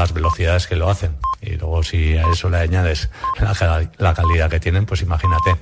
las velocidades que lo hacen. Y luego si a eso le añades la calidad que tienen, pues imagínate.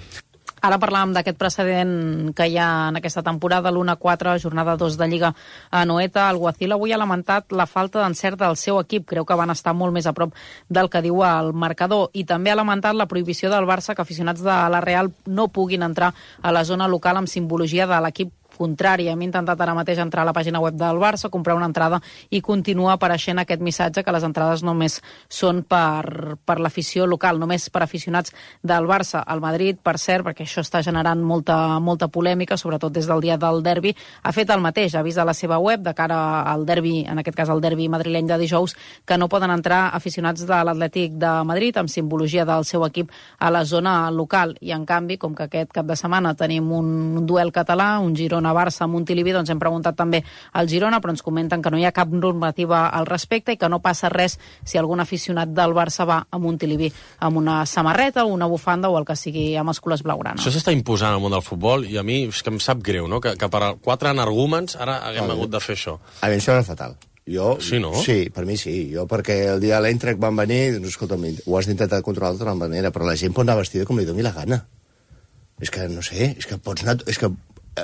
Ara parlàvem d'aquest precedent que hi ha en aquesta temporada, l'1-4, jornada 2 de Lliga a Anoeta. El Guacil avui ha lamentat la falta d'encert del seu equip. Creu que van estar molt més a prop del que diu el marcador. I també ha lamentat la prohibició del Barça que aficionats de la Real no puguin entrar a la zona local amb simbologia de l'equip contrari. Hem intentat ara mateix entrar a la pàgina web del Barça, comprar una entrada i continua apareixent aquest missatge que les entrades només són per l'afició local, només per aficionats del Barça. El Madrid, per cert, perquè això està generant molta polèmica, sobretot des del dia del derbi, ha fet el mateix, ha vist a la seva web de cara al derbi, en aquest cas el derbi madrileny de dijous, que no poden entrar aficionats de l'Atlètic de Madrid amb simbologia del seu equip a la zona local. I en canvi, com que aquest cap de setmana tenim un duel català, un Girona-Barça a Montilivi, doncs hem preguntat també al Girona, però ens comenten que no hi ha cap normativa al respecte i que no passa res si algun aficionat del Barça va a Montilivi amb una samarreta o una bufanda o el que sigui amb els colors blaugrana. Això s'està imposant al món del futbol i a mi és que em sap greu, no? Que per 4 energúmens ara haguem hagut de fer això. A mi em sembla fatal. Sí, no? Sí, per mi sí. Jo, perquè el dia de l'Eintracht van venir, doncs, escolta'm, ho has d'intentar controlar d'altra manera, però la gent pot anar vestida com li doni la gana. És que, no sé, és que pots anar... És que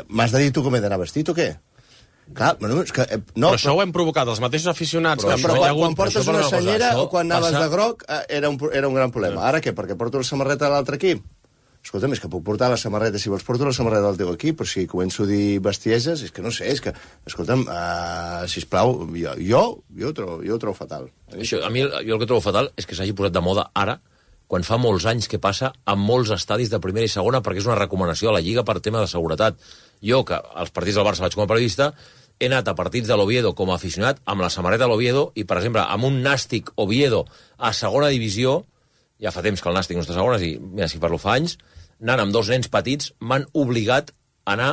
m'has de dir tu com he d'anar vestit o què? Clar, bueno, és que... No, però això ho hem provocat els mateixos aficionats. Però quan portes una senyera o quan anaves de groc era un gran problema. Ara què? Perquè porto la samarreta de l'altre equip? Escolta'm, és que puc portar la samarreta, si vols porto la samarreta del teu equip, però si començo a dir bestieses, és que no sé, és que, escolta'm, sisplau, jo ho trobo fatal. Això, a mi jo el que trobo fatal és que s'hagi posat de moda ara, quan fa molts anys que passa a molts estadis de primera i segona, perquè és una recomanació a la Lliga per tema de seguretat. Jo, que als partits del Barça vaig com a periodista, he anat a partits de l'Oviedo com a aficionat amb la samarreta de l'Oviedo i, per exemple, amb un Nàstic Oviedo a segona divisió, ja fa temps que el Nàstic no està a segona, i mira, si parlo fa anys, anant amb 2 nens petits, m'han obligat a anar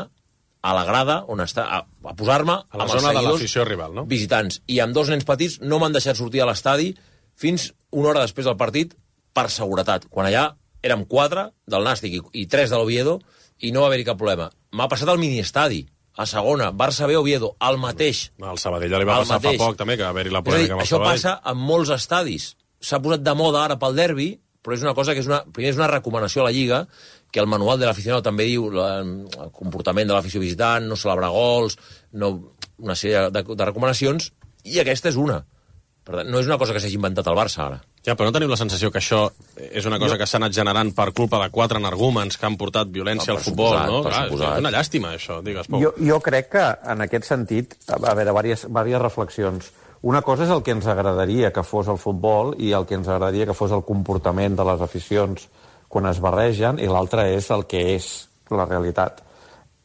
a la grada on està, a posar-me a la zona de l'afició rival, no? Visitants. I amb 2 nens petits no m'han deixat sortir a l'estadi fins una hora després del partit per seguretat. Quan allà érem 4 del Nàstic i 3 de l'Oviedo i no va haver-hi cap problema. M'ha passat al miniestadi, a segona, Barça B Oviedo, el mateix. Al Sabadell ja li va passar fa poc també, que va haver-hi la polèmica amb el Sabadell. Això passa en molts estadis. S'ha posat de moda ara pel derbi, però és una cosa que primer és una recomanació a la Lliga, que el manual de l'aficionat també diu el comportament de l'afició visitant, no celebrar gols, una sèrie de recomanacions, i aquesta és una. Per tant, no és una cosa que s'hagi inventat el Barça ara. Ja, però no teniu la sensació que això és una cosa que s'ha anat generant per culpa de 4 energúmens que han portat violència al futbol, no? És una llàstima, això, digues, Pau. Jo crec que, en aquest sentit, a veure, diverses reflexions. Una cosa és el que ens agradaria que fos el futbol i el que ens agradaria que fos el comportament de les aficions quan es barregen, i l'altra és el que és la realitat.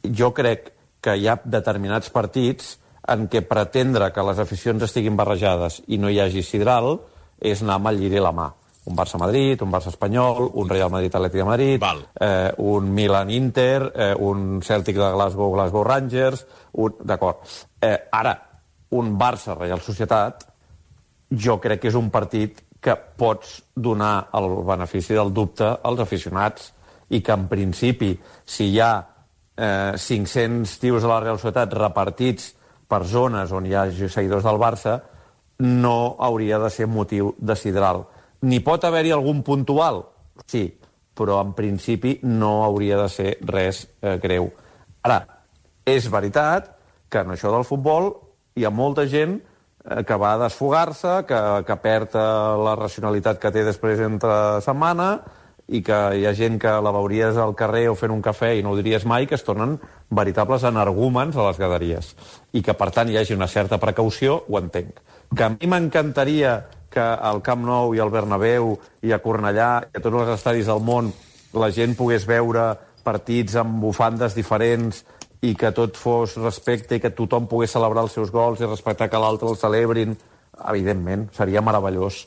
Jo crec que hi ha determinats partits en què pretendre que les aficions estiguin barrejades i no hi hagi sidral és anar amb el lliri a la mà. Un Barça-Madrid, un Barça-Espanyol, un Real Madrid-Atlètic de Madrid, un Milan-Inter, un Celtic de Glasgow Rangers... D'acord. Ara, un Barça-Real Societat, jo crec que és un partit que pots donar el benefici del dubte als aficionats i que, en principi, si hi ha 500 tios a la Real Societat repartits per zones on hi ha seguidors del Barça, no hauria de ser motiu de sidral. N'hi pot haver-hi algun puntual? Sí, però en principi no hauria de ser res greu. Ara, és veritat que en això del futbol hi ha molta gent que va a desfogar-se, que perd la racionalitat que té després entre setmana i que hi ha gent que la veuries al carrer o fent un cafè i no ho diries mai, que es tornen veritables energúmens a les graderies. I que, per tant, hi hagi una certa precaució, ho entenc. Que a mi m'encantaria que al Camp Nou i al Bernabéu i a Cornellà i a tots els estadis del món la gent pogués veure partits amb bufandes diferents i que tot fos respecte i que tothom pogués celebrar els seus gols i respectar que l'altre el celebrin. Evidentment, seria meravellós,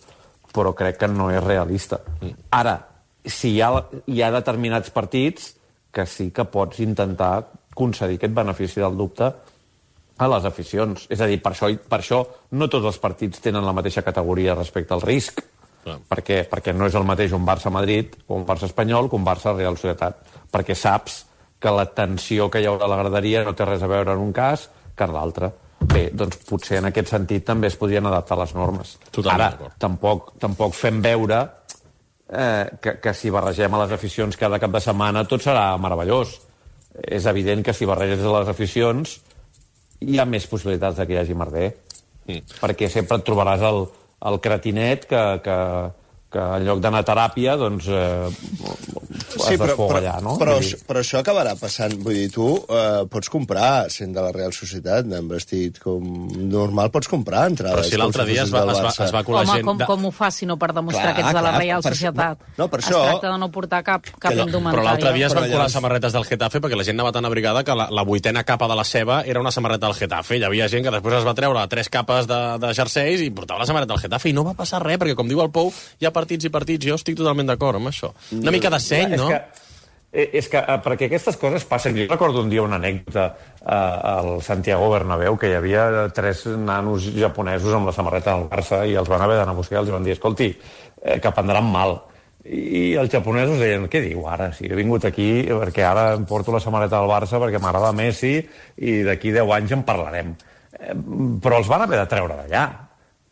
però crec que no és realista. Ara, si hi ha determinats partits que sí que pots intentar concedir aquest benefici del dubte a les aficions. És a dir, per això no tots els partits tenen la mateixa categoria respecte al risc. Per què? Perquè no és el mateix un Barça-Madrid o un Barça-Espanyol que un Barça-Real Societat. Perquè saps que la tensió que hi haurà a la graderia no té res a veure en un cas que en l'altre. Bé, doncs potser en aquest sentit també es podrien adaptar les normes. Totalment. Ara, tampoc fem veure que si barregem a les aficions cada cap de setmana tot serà meravellós. És evident que si barreges a les aficions hi ha més possibilitats que hi hagi merder. Perquè sempre et trobaràs el cretinet que en lloc d'anar a teràpia, doncs has d'esfogar allà, no? Però això acabarà passant. Vull dir, tu pots comprar, sent de la Real Societat, amb vestit com normal, pots comprar entrades. Però si l'altre dia es va colar gent... Home, com ho fa, si no per demostrar que ets de la Real Societat? No, per això... Es tracta de no portar cap indumentària. Però l'altre dia es van colar samarretes del Getafe perquè la gent anava tan abrigada que la vuitena capa de la ceba era una samarreta del Getafe. Hi havia gent que després es va treure 3 capes de jerseis i portava la samarreta del Getafe i no va passar res, perquè com diu el Pou, hi ha partits i partits. Jo estic totalment d'acord amb això. Una mica de seny, no? És que perquè aquestes coses passen. Jo recordo un dia una anècdota al Santiago Bernabéu, que hi havia 3 nanos japonesos amb la samarreta del Barça i els van haver d'anar a buscar i els van dir, escolti, que prendran mal. I els japonesos deien, què diu ara? Si he vingut aquí perquè ara em porto la samarreta del Barça perquè m'agrada Messi i d'aquí 10 anys en parlarem. Però els van haver de treure d'allà.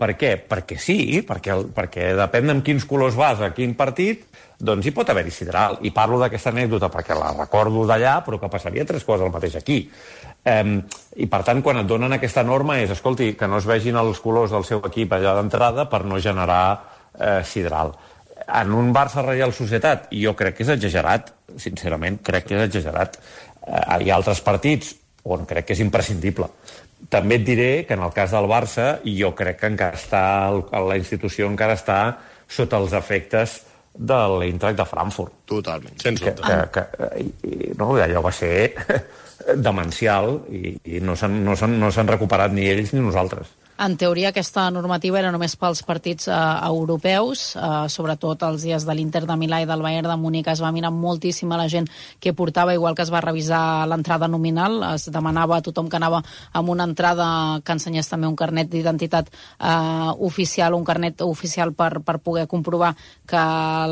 Per què? Perquè sí, perquè depèn de quins colors vas a quin partit, doncs hi pot haver-hi sidral. I parlo d'aquesta anècdota perquè la recordo d'allà, però que passaria 3 coses el mateix aquí. I per tant, quan et donen aquesta norma és, escolti, que no es vegin els colors del seu equip allà d'entrada per no generar sidral. En un Barça-Real Societat, jo crec que és exagerat, sincerament, crec que és exagerat. Hi ha altres partits on crec que és imprescindible. També et diré que en el cas del Barça jo crec que encara la institució encara està sota els efectes de l'Eintracht de Frankfurt. Totalment. Sens dubte. Allò va ser demencial i no s'han recuperat ni ells ni nosaltres. En teoria, aquesta normativa era només pels partits europeus, sobretot els dies de l'Inter de Milà i del Bayern de Múnich. Es va mirar moltíssim a la gent que portava, igual que es va revisar l'entrada nominal. Es demanava a tothom que anava amb una entrada que ensenyés també un carnet d'identitat oficial, un carnet oficial per poder comprovar que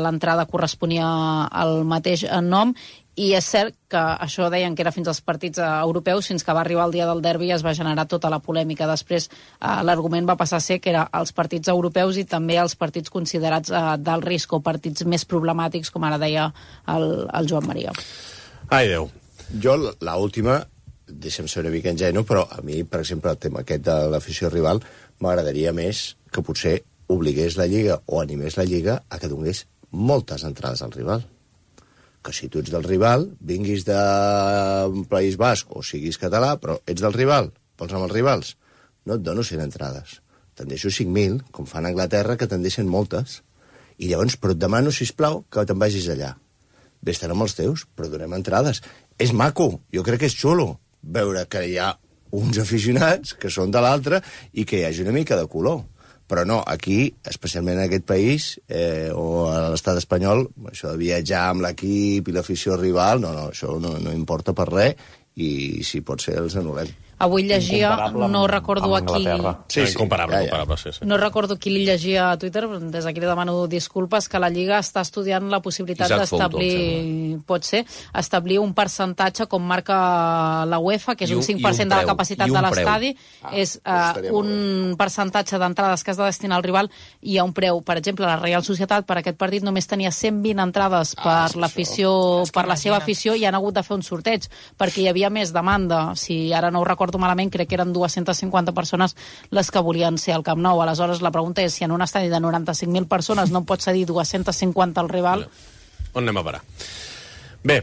l'entrada corresponia al mateix nom. I és cert que això deien que era fins als partits europeus, fins que va arribar el dia del derbi i es va generar tota la polèmica. Després l'argument va passar a ser que era els partits europeus i també els partits considerats d'alt risc o partits més problemàtics, com ara deia el Joan Maria. Ai, Déu. Jo, l'última, deixa'm ser una mica ingenu, però a mi, per exemple, el tema aquest de l'afició rival m'agradaria més que potser obligués la Lliga o animés la Lliga a que donés moltes entrades al rival. Que si tu ets del rival, vinguis de País Basc o siguis català, però ets del rival, vols amb els rivals, no et dono 100 entrades. Te'n deixo 5.000, com fan a Anglaterra, que te'n deixen moltes. I llavors, però et demano, sisplau, que te'n vagis allà. Vés-te'n amb els teus, però donem entrades. És maco, jo crec que és xulo veure que hi ha uns aficionats que són de l'altre i que hi hagi una mica de color. Però no, aquí, especialment en aquest país, o a l'estat espanyol, això de viatjar amb l'equip i l'afició rival, això no importa per res, i si pot ser els anul·lem. Avui llegia, no recordo a qui... Sí, incomparable, sí. No recordo qui li llegia a Twitter, des d'aquí li demano disculpes, que la Lliga està estudiant la possibilitat d'establir, pot ser, establir un percentatge com marca la UEFA, que és un 5% de la capacitat de l'estadi, és un percentatge d'entrades que has de destinar al rival i a un preu. Per exemple, la Real Societat per aquest partit només tenia 120 entrades per l'afició, per la seva afició, i han hagut de fer un sorteig, perquè hi havia més demanda. Si ara no ho recordo malament, crec que eren 250 persones les que volien ser al Camp Nou. Aleshores, la pregunta és si en un estadi de 95.000 persones no pot cedir 250 al rival. On anem a parar? Bé,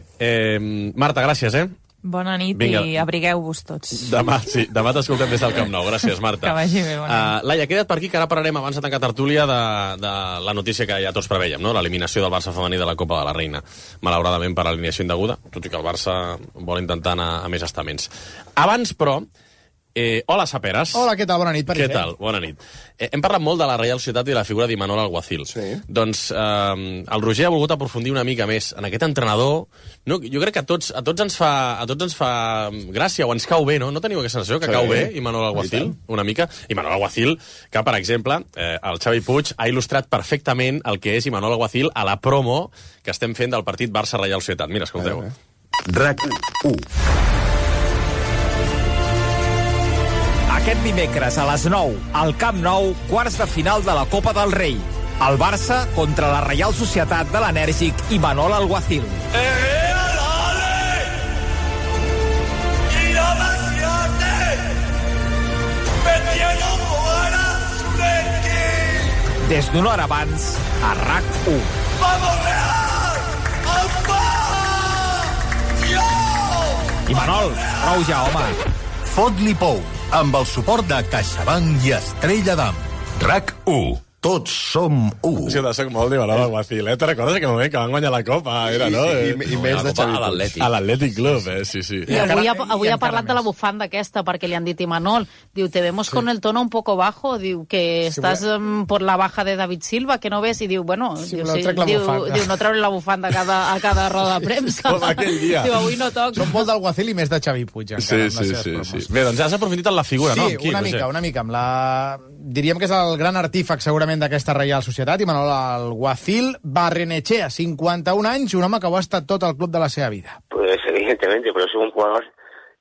Marta, gràcies, Bona nit. Vinga. I abrigueu-vos tots. Demà t'escoltem des del Camp Nou. Gràcies, Marta. Que vagi bé, bona nit. Laia, queda't per aquí, que ara parlarem, abans de tancar tertúlia, de la notícia que ja tots preveiem, no? L'eliminació del Barça femení de la Copa de la Reina. Malauradament per alineació indeguda, tot i que el Barça vol intentar anar a més estaments. Abans, però, hola, Saperas. Hola, què tal? Bona nit. Què tal? Bona nit. Hem parlat molt de la Real Societat i de la figura d'Imanol Alguacil. Sí. Doncs el Roger ha volgut aprofundir una mica més en aquest entrenador. No, jo crec que a tots ens fa gràcia, o ens cau bé, no? No teniu aquesta sensació que cau bé Imanol Alguacil? Una mica. Imanol Alguacil, que, per exemple, el Xavi Puig ha il·lustrat perfectament el que és Imanol Alguacil a la promo que estem fent del partit Barça-Real Societat. Mira, escolteu. RAC 1. Aquest dimecres a les 9, al Camp Nou, quarts de final de la Copa del Rei. El Barça contra la Reial Societat de l'enèrgic Imanol Alguacil. Des d'una hora abans, a RAC1. ¡Vamos, Real! Imanol, prou ja, home. Fot-li pou, amb el suport de CaixaBank i Estrella d'Am. RAC1. Tots som u. Sí, soc molt d'Imanol Alguacil, Te'n recordes aquell moment que van guanyar la Copa? Era, no? I més de Xavi Puig. A l'Atlètic Club, sí, sí. I avui ha parlat de la bufanda aquesta, perquè li han dit Imanol, diu, te vemos con el tono un poco bajo, diu, que estàs por la baja de David Silva, que no ves, i diu, bueno, diu, no treure la bufanda a cada roda de premsa. Com aquell dia. Diu, avui no toca. Són molt d'Alguacil i més de Xavi Puig, encara, sí. Bé, doncs has aprofitat en la figura, no? Sí, una mica. Diríem que és el gran artífex, segurament, d'aquesta Reial Societat, Imanol Alguacil. Barrenechea, 51 anys, un home que ho ha estat tot al club de la seva vida. Pues evidentemente, pero es un jugador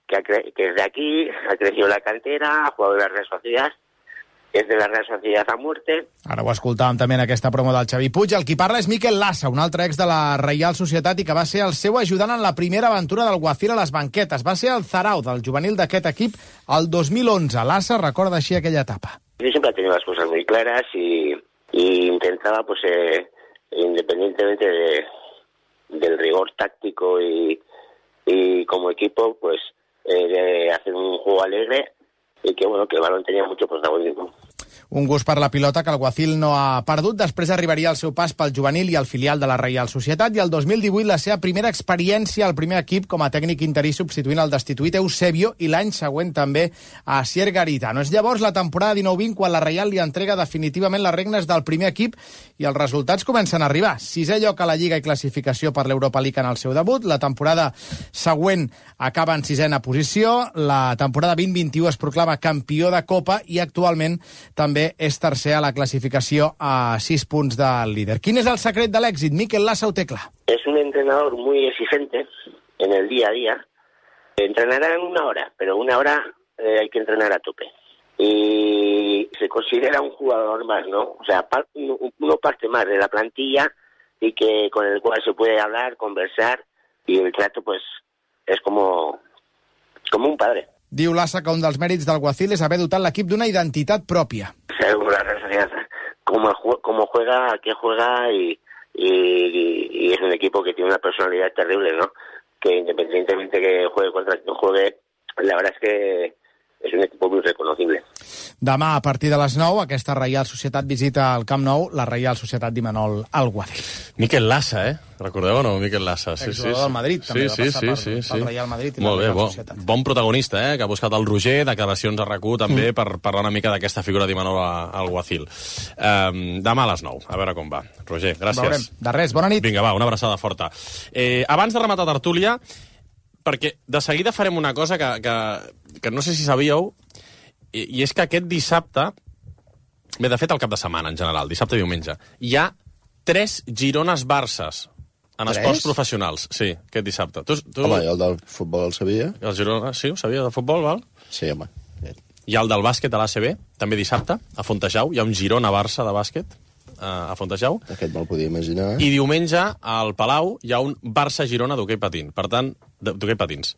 que es de aquí, ha crecido en la cantera, ha jugado en la Real Sociedad, és de la Real Sociedad a muerte. Ara ho escoltàvem també en aquesta promo del Xavi Puig. El qui parla és Mikel Lassa, un altre ex de la Reial Societat i que va ser el seu ajudant en la primera aventura del Guacil a les banquetes. Va ser el Zarau del juvenil d'aquest equip el 2011. Lassa recorda així aquella etapa. Yo siempre he tenido las cosas muy claras y intentaba, pues, independientemente del rigor táctico y como equipo, pues, de hacer un juego alegre y que, bueno, que el balón tenía mucho protagonismo. Un gust per la pilota que el Guacil no ha perdut. Després arribaria el seu pas pel juvenil i el filial de la Reial Societat i el 2018 la seva primera experiència al primer equip com a tècnic interí substituint el destituït Eusebio i l'any següent també a Asier Garitano. És llavors la temporada 19-20 quan la Reial li entrega definitivament les regnes del primer equip i els resultats comencen a arribar. 6è lloc a la Lliga i classificació per l'Europa League en el seu debut. La temporada següent acaba en 6ª posició. La temporada 20-21 es proclama campió de Copa i actualment també és tercer a la clasificació a 6 punts del líder. ¿Quién es el secret de l'èxit? Mikel Lassa ho té clar. Es un entrenador muy exigente en el día a día. Entrenará en 1 hora, pero 1 hora hay que entrenar a tope. Y se considera un jugador más, ¿no? O sea, uno parte más de la plantilla y que con el cual se puede hablar, conversar y el trato, pues, es como un padre. Diu Lassa que un dels mèrits del Guacil és haver dotat l'equip d'una identitat pròpia. La Real Sociedad, cómo juega, a qué juega y es un equipo que tiene una personalidad terrible, ¿no? Que independientemente que juegue contra quien juegue, la verdad es que és un equip molt reconocible. Demà, a partir de les 9, aquesta Reial Societat visita al Camp Nou, la Reial Societat d'Imanol Alguacil. Mikel Lassa, Recordeu o no, Mikel Lassa? Exjugador del Madrid, també va passar pel Real Madrid i la Reial Societat. Bon protagonista, que ha buscat el Roger, declaracions a RAC1 també per parlar una mica d'aquesta figura d'Imanol Alguacil. Demà a les 9, a veure com va. Roger, gràcies. Veurem. De res, bona nit. Vinga, va, una abraçada forta. Abans de rematar tertúlia, perquè de seguida farem una cosa que no sé si sabíeu, i és que aquest dissabte, bé, de fet el cap de setmana en general, dissabte i diumenge, hi ha 3 Girones-Barces en esports professionals. Sí, aquest dissabte. Home, jo el del futbol el sabia. El Girona, sí, ho sabia, del futbol, val? Sí, home. Hi ha el del bàsquet a l'ACB, també dissabte, a Fontejau. Hi ha un Girona-Barça de bàsquet a Fontejau. Aquest me'l podia imaginar. I diumenge, al Palau, hi ha un Barça-Girona d'hoquei patins. Per tant, d'hoquei patins.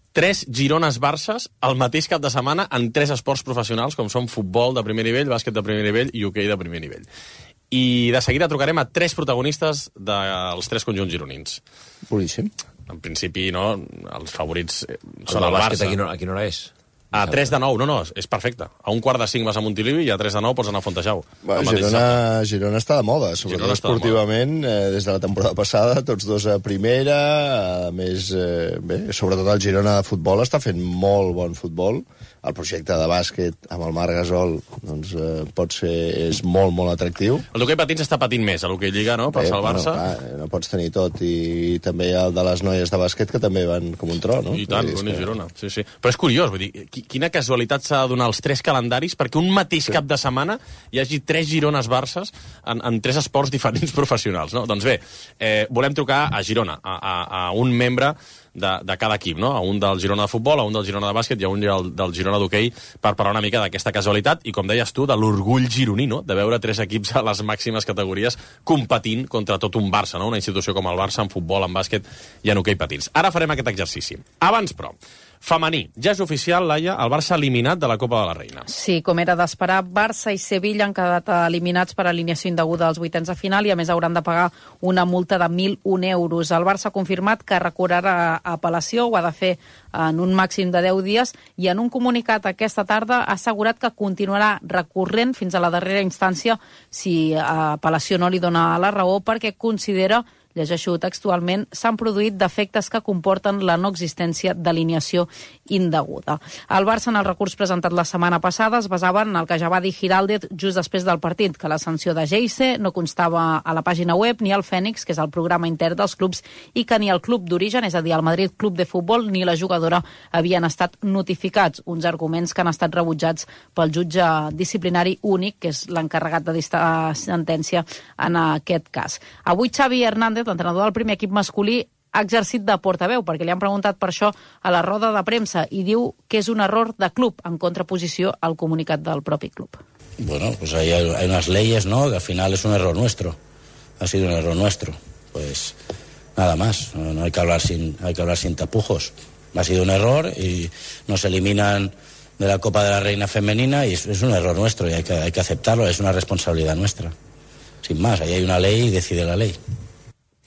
3 Girones-Barces al mateix cap de setmana en 3 esports professionals, com són futbol de primer nivell, bàsquet de primer nivell i hoquei de primer nivell. I de seguida trucarem a 3 protagonistes dels 3 conjunts gironins. Boníssim. En principi, no, els favorits són el Barça. A quina hora és? A 3 de 9, no, és perfecte. A 1:45 vas a Montilivi i a 3 de 9 pots anar a Fontejau. Girona està de moda, sobretot esportivament, des de la temporada passada, tots dos a primera, a més, bé, sobretot el Girona de futbol està fent molt bon futbol. El projecte de bàsquet amb el Marc Gasol doncs, és molt, molt atractiu. El d'hoquei patins està patint més, a l'hoquei Lliga, no?, per salvar-se. No pots tenir tot, i també el de les noies de bàsquet, que també van com un tro, no? I tant, i Girona, sí. Però és curiós, vull dir, quina casualitat s'ha de donar els 3 calendaris perquè un mateix cap de setmana hi hagi 3 Girones-Barces en 3 esports diferents professionals, no? Doncs bé, volem trucar a Girona, a un membre de cada equip, no? A un del Girona de futbol, a un del Girona de bàsquet i a un del Girona d'hoquei, per parlar una mica d'aquesta casualitat i, com deies tu, de l'orgull gironí, no? De veure 3 equips a les màximes categories competint contra tot un Barça, no? Una institució com el Barça en futbol, en bàsquet i en hoquei patins. Ara farem aquest exercici. Abans, però, femení. Ja és oficial, Laia, el Barça eliminat de la Copa de la Reina. Sí, com era d'esperar, Barça i Sevilla han quedat eliminats per alineació indeguda als vuitens de final i, a més, hauran de pagar una multa de 1.001 euros. El Barça ha confirmat que recorrerà a apel·lació, ho ha de fer en un màxim de 10 dies, i en un comunicat aquesta tarda ha assegurat que continuarà recorrent fins a la darrera instància si apel·lació no li dona la raó, perquè considera, llegeixo textualment, s'han produït defectes que comporten la no existència d'alineació indeguda. El Barça, en el recurs presentat la setmana passada, es basava en el que ja va dir Giraldez just després del partit, que la sanció de Geise no constava a la pàgina web ni al Fènix, que és el programa intern dels clubs, i que ni el club d'origen, és a dir, el Madrid Club de Futbol, ni la jugadora havien estat notificats. Uns arguments que han estat rebutjats pel jutge disciplinari únic, que és l'encarregat de dictar sentència en aquest cas. Avui Xavi Hernández, l'entrenador del primer equip masculí, ha exercit de portaveu, perquè li han preguntat per això a la roda de premsa, i diu que és un error de club, en contraposició al comunicat del propi club. Bueno, pues hay unas leyes, ¿no?, que al final es un error nuestro. Ha sido un error nuestro. Pues nada más, no hay que hablar sin tapujos. Ha sido un error y nos eliminan de la Copa de la Reina femenina y es un error nuestro y hay que aceptarlo, es una responsabilidad nuestra. Sin más, ahí hay una ley y decide la ley.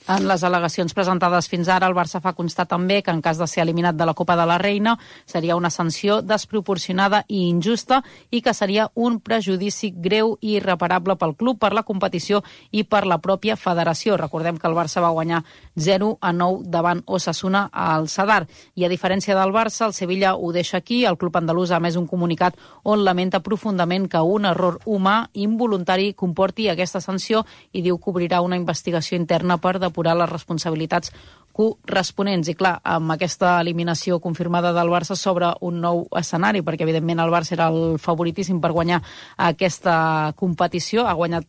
En les al·legacions presentades fins ara, el Barça fa constar també que en cas de ser eliminat de la Copa de la Reina seria una sanció desproporcionada i injusta i que seria un prejudici greu i irreparable pel club, per la competició i per la pròpia federació. Recordem que el Barça va guanyar 0-9 davant Osasuna al Sadar. I a diferència del Barça, el Sevilla ho deixa aquí. El club andalús ha emès un comunicat on lamenta profundament que un error humà involuntari comporti aquesta sanció i diu que obrirà una investigació interna per depurar les responsabilitats corresponents. I clar, amb aquesta eliminació confirmada del Barça s'obre un nou escenari, perquè evidentment el Barça era el favoritíssim per guanyar aquesta competició. Ha guanyat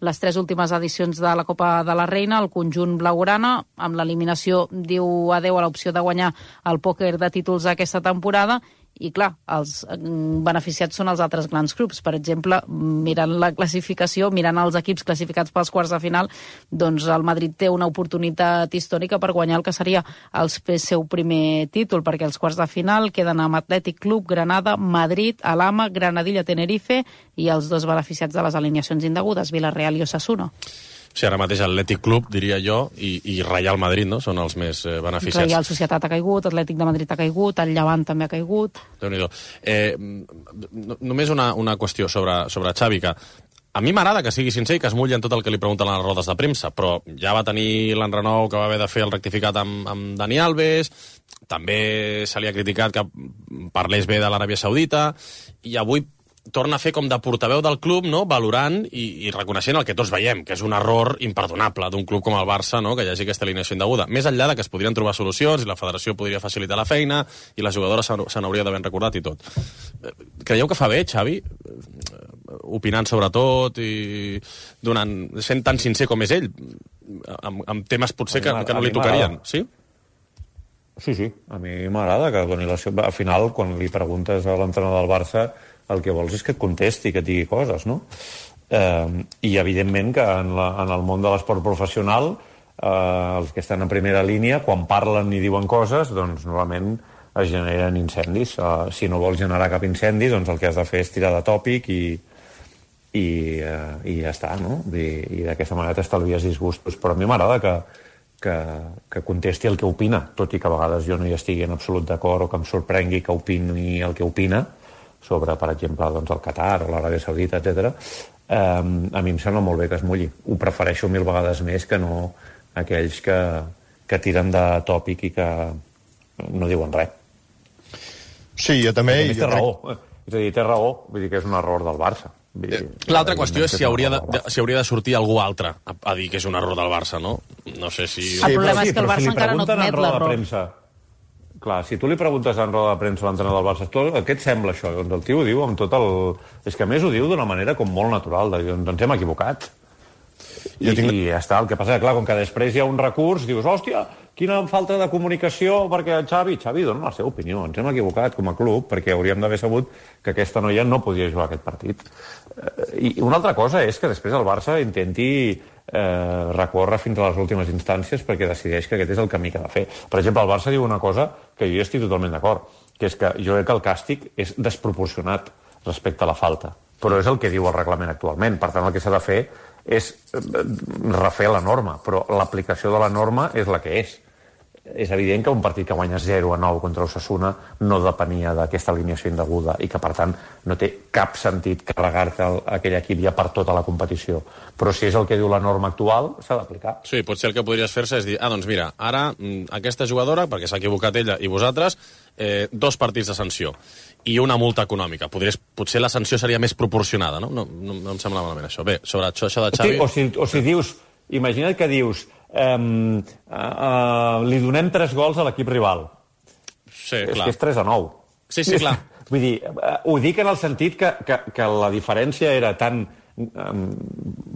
les 3 últimes edicions de la Copa de la Reina, el conjunt blaugrana. Amb l'eliminació diu adeu a l'opció de guanyar el pòquer de títols aquesta temporada. I clar, els beneficiats són els altres grans clubs. Per exemple, mirant la classificació, mirant els equips classificats pels quarts de final, doncs el Madrid té una oportunitat històrica per guanyar el que seria el seu primer títol, perquè els quarts de final queden amb Atlètic Club, Granada, Madrid, Alhama, Granadilla, Tenerife i els 2 beneficiats de les alineacions indegudes, Villarreal i Osasuna. Sí, ara mateix Atlètic Club, diria jo, i Real Madrid, no?, són els més beneficiats. Real Societat ha caigut, Atlètic de Madrid ha caigut, el Llevant també ha caigut. Déu-n'hi-do. Només una qüestió sobre Xavi, que a mi m'agrada que sigui sincer i que es mulli en tot el que li pregunten a les rodes de premsa, però ja va tenir l'enrenou que va haver de fer el rectificat amb Dani Alves, també se li ha criticat que parlés bé de l'Aràbia Saudita, i avui torna a fer com de portaveu del club, no?, valorant i reconeixent el que tots veiem, que és un error imperdonable d'un club com el Barça, no?, que hi hagi aquesta alineació indeguda. Més enllà de que es podrien trobar solucions i la federació podria facilitar la feina i la jugadora se n'hauria d'haver recordat i tot. Creieu que fa bé, Xavi, opinant sobre tot i sent tan sincer com és ell, amb temes potser que no li tocarien, sí? Sí, a mi m'agrada que doni al final, quan li preguntes a l'entrenador del Barça, el que vols és que et contesti, que et digui coses, no? I, evidentment, que en el món de l'esport professional, els que estan en primera línia, quan parlen i diuen coses, doncs normalment es generen incendis. Si no vols generar cap incendi, doncs el que has de fer és tirar de tòpic i ja està, no? I d'aquesta manera t'estalvies disgustos. Però a mi m'agrada que contesti el que opina, tot i que a vegades jo no hi estigui en absolut d'acord o que em sorprengui que opini el que opina, sobre, per exemple, doncs, el Qatar o l'Aràbia Saudita, etc. A mi em sembla molt bé que es mulli. Ho prefereixo 1000 vegades més que no aquells que tiren de tòpic i que no diuen res. Sí, jo també... Té raó. És a dir, té raó. Vull dir que és un error del Barça. L'altra qüestió és si hauria de sortir algú altre a dir que és un error del Barça, no? No sé si... El problema és que el Barça encara no admet l'error. Clar, si tu li preguntes en roda de premsa a l'entrenador del Barça, què et sembla això? Doncs el tio ho diu amb tot el... És que a més ho diu d'una manera com molt natural, de dir, ens hem equivocat. I ja està. El que passa és, clar, com que després hi ha un recurs, dius, hòstia, quina falta de comunicació, perquè Xavi dona la seva opinió. Ens hem equivocat com a club, perquè hauríem d'haver sabut que aquesta noia no podia jugar aquest partit. I una altra cosa és que després el Barça intenti recórrer fins a les últimes instàncies perquè decideix que aquest és el camí que ha de fer. Per exemple, el Barça diu una cosa que jo estic totalment d'acord, que és que jo crec que el càstig és desproporcionat respecte a la falta, però és el que diu el reglament actualment. Per tant, el que s'ha de fer és refer la norma, però l'aplicació de la norma és la que és. És evident que un partit que guanya 0-9 contra Osasuna no depenia d'aquesta alineació indeguda i que, per tant, no té cap sentit carregar-te aquell equip ja per tota la competició. Però si és el que diu la norma actual, s'ha d'aplicar. Sí, potser el que podries fer-se és dir, doncs mira, ara aquesta jugadora, perquè s'ha equivocat ella i vosaltres, 2 partits de sanció i una multa econòmica. Potser la sanció seria més proporcionada, no? No em sembla malament això. Bé, sobre això de Xavi... O si dius, imagina't que dius li donem 3 gols a l'equip rival. Sí, és clar. que és 3-9. Sí, clar. Vull dir, ho dic en el sentit que la diferència era tan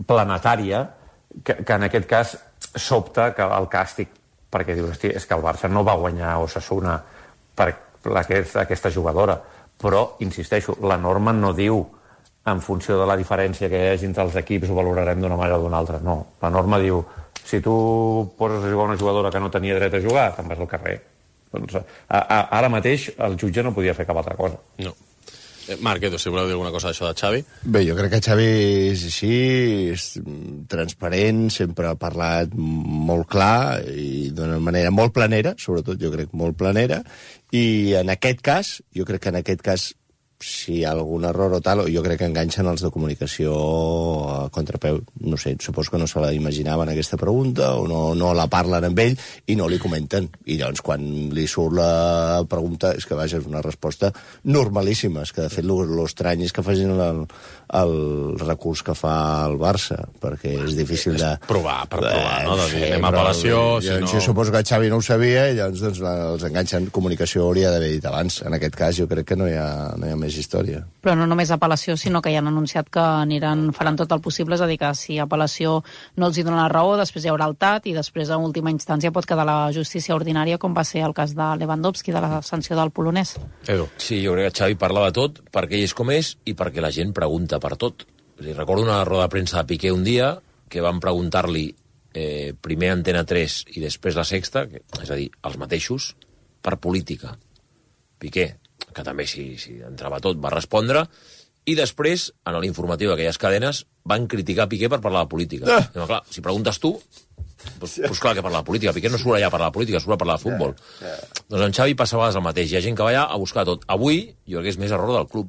planetària que en aquest cas sobta que el càstig, perquè dius, hosti, és que el Barça no va guanyar Osasuna per aquesta jugadora, però, insisteixo, la norma no diu en funció de la diferència que hi hagi entre els equips ho valorarem d'una manera o d'una altra. No, la norma diu, si tu poses a jugar una jugadora que no tenia dret a jugar, te'n vas al carrer. Doncs ara mateix el jutge no podia fer cap altra cosa. No. Marc, Edu, si voleu dir alguna cosa d'això de Xavi? Bé, jo crec que Xavi és així, és transparent, sempre ha parlat molt clar i d'una manera molt planera, sobretot jo crec molt planera, i en aquest cas, jo crec que en aquest cas, si hi ha algun error o tal, jo crec que enganxen els de comunicació a contrapeu. No sé, suposo que no se la imaginaven aquesta pregunta o no la parlen amb ell i no li comenten. I llavors quan li surt la pregunta és que, vaja, és una resposta normalíssima. És que, de fet, l'estrany és que facin el recurs que fa el Barça, perquè és difícil de... Provar, no? De dir, anem a apel·lació... Jo suposo que Xavi no ho sabia i llavors els enganxen. Comunicació hauria d'haver dit abans. En aquest cas jo crec que no hi ha més història. Però no només apel·lació, sinó que ja han anunciat que faran tot el possible, és a dir, que si apel·lació no els hi dona la raó, després hi haurà el TAT i després, a última instància, pot quedar la justícia ordinària, com va ser el cas de Lewandowski, de la sanció del polonès. Edu. Sí, jo crec que Xavi parla de tot, perquè ell és com és i perquè la gent pregunta per tot. Recordo una roda de premsa de Piqué un dia que van preguntar-li primer Antena 3 i després La Sexta, és a dir, els mateixos, per política. Piqué, que també si entrava tot, va respondre, i després, en l'informatiu d'aquelles cadenes, van criticar Piqué per parlar de política. No, clar, si preguntes tu, doncs clar que parla de política. Piqué no surt allà a parlar de política, surt a parlar de futbol. Doncs en Xavi passa a vegades el mateix. Hi ha gent que va allà a buscar tot. Avui, jo crec que és més error del club.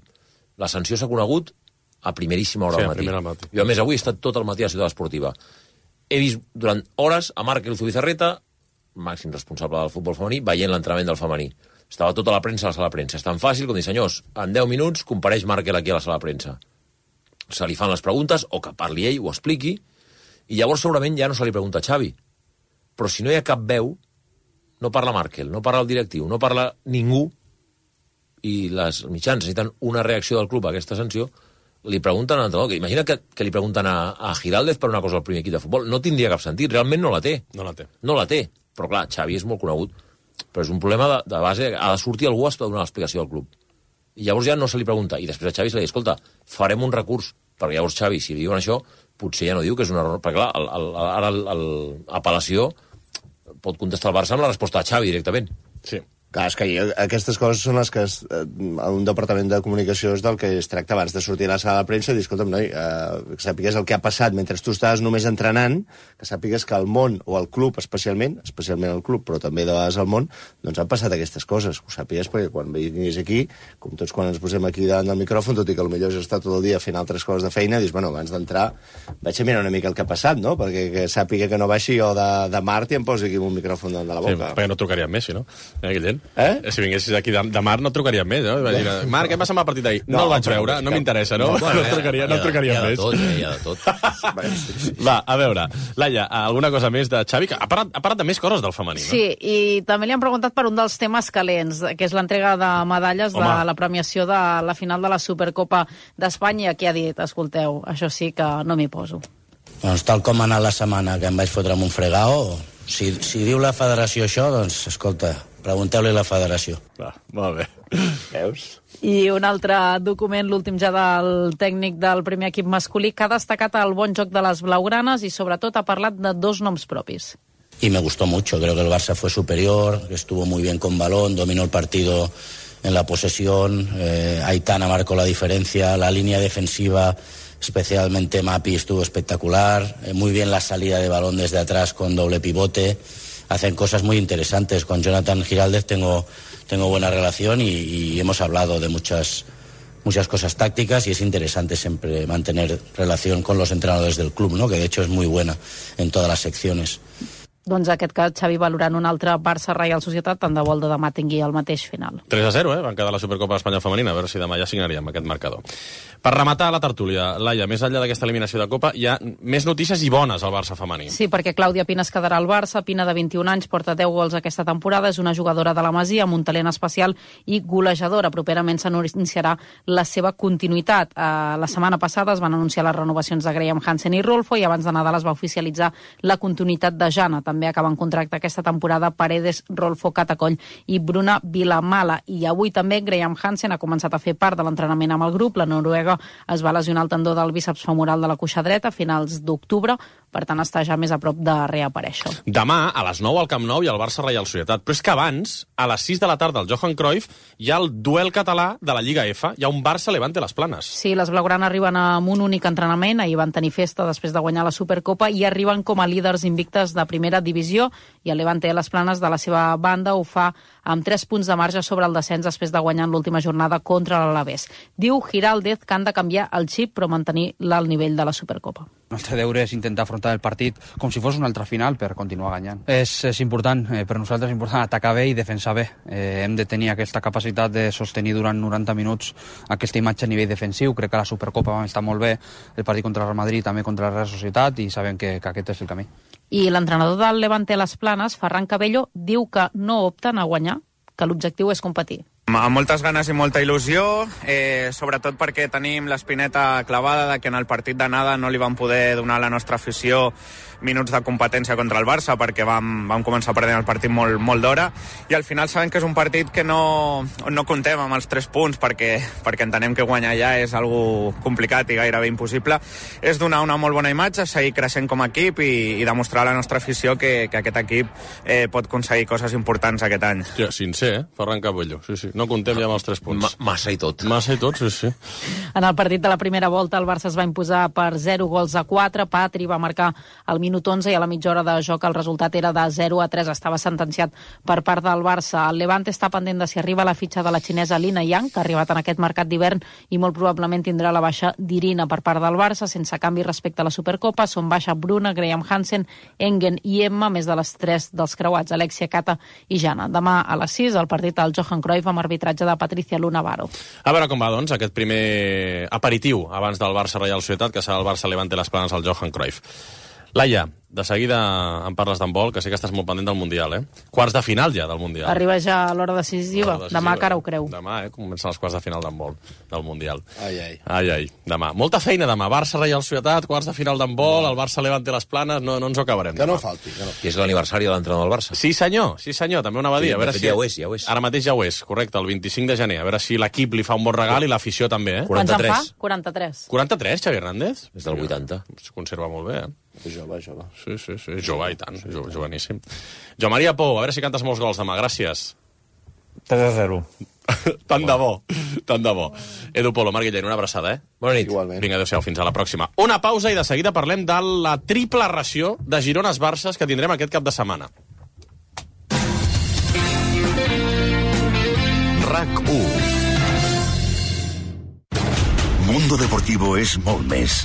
La sanció s'ha conegut a primeríssima hora del matí. Jo, a més, avui he estat tot el matí a la Ciutat Esportiva. He vist durant hores a Marc Bizarreta, màxim responsable del futbol femení, veient l'entrenament del femení. Estava tota la premsa a la sala de premsa. És tan fàcil com dir, senyors, en 10 minuts compareix Markel aquí a la sala de premsa. Se li fan les preguntes, o que parli ell, ho expliqui, i llavors segurament ja no se li pregunta a Xavi. Però si no hi ha cap veu, no parla Markel, no parla el directiu, no parla ningú, i les mitjans necessiten una reacció del club a aquesta sanció, li pregunten a l'entrenador. Imagina que li pregunten a Giraldez per una cosa al primer equip de futbol. No tindria cap sentit, realment no la té. No la té. Però clar, Xavi és molt conegut. Però és un problema de base, ha de sortir algú a donar l'explicació al club. I llavors ja no se li pregunta. I després a Xavi se li diu, escolta, farem un recurs. Perquè llavors Xavi, si li diuen això, potser ja no diu que és un error. Perquè clar, ara l'apel·lació pot contestar el Barça amb la resposta de Xavi directament. Sí. Clar, és que aquestes coses són les que un departament de comunicació és del que es tracta abans de sortir a la sala de premsa i dir, escolta'm, noi, que sàpigues el que ha passat mentre tu estaves només entrenant, que sàpigues que el món, o el club especialment el club, però també de vegades el món, doncs han passat aquestes coses. Ho sàpigues perquè quan vinguis aquí, com tots quan ens posem aquí davant del micròfon, tot i que potser has estat tot el dia fent altres coses de feina, dius, bueno, abans d'entrar vaig a mirar una mica el que ha passat, no? Perquè que sàpiga que no baixi jo de Mart i em posi aquí un micròfon davant de la boca. Sí, perquè no trucaríem més, si no? Si vinguessis aquí de Mar no trucaríem més, no? Marc, què passa amb el partit d'ahir? No el vaig veure, no m'interessa, no? No trucaríem més. Hi ha de tot. Va, a veure, Laia, alguna cosa més de Xavi? Ha parlat de més coses del femení, no? Sí, i també li han preguntat per un dels temes calents, que és l'entrega de medalles de la premiació de la final de la Supercopa d'Espanya, que ha dit, escolteu, això sí que no m'hi poso. Doncs tal com ha anat la setmana, que em vaig fotre amb un fregao, si diu la federació això, doncs, escolta, pregunteu-li a la federació. Molt bé. Veus? I un altre document, l'últim ja del tècnic del primer equip masculí, que ha destacat el bon joc de les blaugranes i sobretot ha parlat de 2 noms propis. Y me gustó mucho, creo que el Barça fue superior, estuvo muy bien con balón, dominó el partido en la posesión, Aitana marcó la diferencia, la línea defensiva, especialmente Mapi, estuvo espectacular, muy bien la salida de balón desde atrás con doble pivote, hacen cosas muy interesantes. Con Jonathan Giraldez tengo buena relación y hemos hablado de muchas cosas tácticas y es interesante siempre mantener relación con los entrenadores del club, ¿no? Que de hecho es muy buena en todas las secciones. Doncs aquest cas, Xavi, valorant un altre Barça-Reial Societat, tant de bo el de demà tingui el mateix final. 3-0, van quedar la Supercopa d'Espanya femenina, a veure si demà ja signaríem aquest marcador. Per rematar la tertúlia, Laia, més enllà d'aquesta eliminació de Copa, hi ha més notícies i bones al Barça femení. Sí, perquè Clàudia Pina es quedarà al Barça. Pina, de 21 anys, porta 10 gols aquesta temporada, és una jugadora de la Masia amb un talent especial i golejadora. Properament s'anunciarà la seva continuïtat. La setmana passada es van anunciar les renovacions de Graham Hansen i Rolfo i abans de Nadal es va oficialitzar la continuïtat de Jana. També acaben contracte aquesta temporada Paredes, Rolfo, Catacoll i Bruna Vilamala. I avui també Graham Hansen ha començat a fer part de l'entrenament amb el grup. La noruega es va lesionar el tendó del bíceps femoral de la cuixa dreta a finals d'octubre, per tant està ja més a prop de reaparèixer. Demà, a les 9 al Camp Nou, hi ha el Barça-Reial Societat. Però és que abans, a les 6 de la tarda al Johan Cruyff, hi ha el duel català de la Lliga F. Hi ha un Barça-Levante Les Planes. Sí, les blaugranes arriben amb un únic entrenament. Ahir van tenir festa després de guanyar la Supercopa i arriben com a líders invictes de primera divisió i el Levante Les Planes, de la seva banda, ho fa amb 3 punts de marge sobre el descens després de guanyar en l'última jornada contra l'Alavés. Diu Giraldez que han de canviar el xip però mantenir l'alt nivell de la Supercopa. El nostre deure és intentar afrontar el partit com si fos una altra final per continuar guanyant. És important, per nosaltres és important atacar bé i defensar bé. Hem de tenir aquesta capacitat de sostenir durant 90 minuts aquesta imatge a nivell defensiu. Crec que la Supercopa va estar molt bé, el partit contra el Real Madrid, també contra la Real Societat, i sabem que aquest és el camí. I l'entrenador del Levante Les Planes, Ferran Cabello, diu que no opten a guanyar, que l'objectiu és competir. Amb moltes ganes i molta il·lusió, sobretot perquè tenim l'espineta clavada de que en el partit d'anada no li vam poder donar a la nostra afició minuts de competència contra el Barça perquè vam començar perdent el partit molt d'hora i al final sabem que és un partit que no contem amb els 3 punts perquè entenem que guanyar ja és algo complicat i gairebé impossible. És donar una molt bona imatge, seguir creixent com a equip i demostrar a la nostra afició que aquest equip pot aconseguir coses importants aquest any. Ja, sincer, Ferran Cabello, sí. No contem ja amb els 3 punts. Massa i tot. Massa i tot, sí. En el partit de la primera volta el Barça es va imposar per 0-4. Patri va marcar al minut 11 i a la mitja hora de joc el resultat era de 0-3. Estava sentenciat per part del Barça. El Levante està pendent de si arriba la fitxa de la xinesa Lina Yang, que ha arribat en aquest mercat d'hivern i molt probablement tindrà la baixa d'Irina per part del Barça, sense canvi respecte a la Supercopa. Són baixa Bruna, Graham Hansen, Engen i Emma, més de les 3 dels creuats, Alexia, Cata i Jana. Demà a les 6 el partit al Johan Cruyff amb arbitratge de Patricia Luna Varo. A veure com va, doncs, aquest primer aperitiu abans del Barça-Reial Societat, que serà el Barça-Levante Les Planes al Johan Cruyff. Laia, de seguida em parles d'handbol, que sé que estàs molt pendent del Mundial, Quarts de final ja del Mundial. Arriba ja a l'hora decisiva. Demà cara ho creu. Demà, comencen els quarts de final d'handbol del Mundial. Ai. Demà. Molta feina demà. Barça-Reial Societat, quarts de final d'handbol, el Barça-Levante Les Planes, no ens ho acabarem. Que no falti. Que és l'aniversari de l'entrenador del Barça. Sí, senyor, també ho anava a dir. Sí, a veure si... ja ho és. Ara mateix ja ho és, correcte, el 25 de gener. A veure si l'equip li fa un bon regal i l'afició també, 43. Quants en fa? 43. 43, Xavi Hernández? És del 80. Es conserva molt bé, Jove. Sí, jove i tant, joveníssim. Jo Maria Pou, a veure si cantes molts gols demà, gràcies. 3-0. Tant de bo. Edu Polo, Marc Guillén, una abraçada, Bona nit. Igualment. Vinga, adéu-siau, fins a la pròxima. Una pausa i de seguida parlem de la triple ració de Girones-Barces que tindrem aquest cap de setmana. RAC1. Mundo Deportivo és molt més.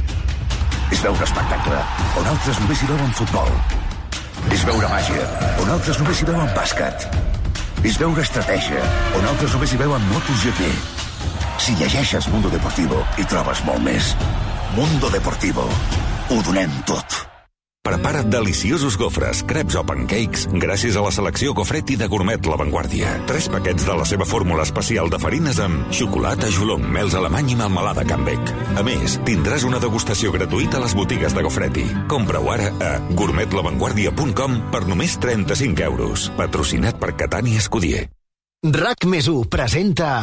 És veure espectacle, on altres només hi veuen futbol. És veure màgia, on altres només hi veuen bàsquet. És veure estratègia, on altres només hi veuen MotoGP. Si llegeixes Mundo Deportivo, hi trobes molt més. Mundo Deportivo. Ho donem tot. Prepara't deliciosos gofres, creps o pancakes gràcies a la selecció Gofretti de Gourmet La Vanguardia. 3 paquets de la seva fórmula especial de farines amb xocolata, joulong, mels alemany i melmelada Canbec. A més, tindràs una degustació gratuïta a les botigues de Gofretti. Compra-ho ara a gourmetlavanguardia.com per només 35 euros. Patrocinat per Catània Escudier. RAC+1 presenta...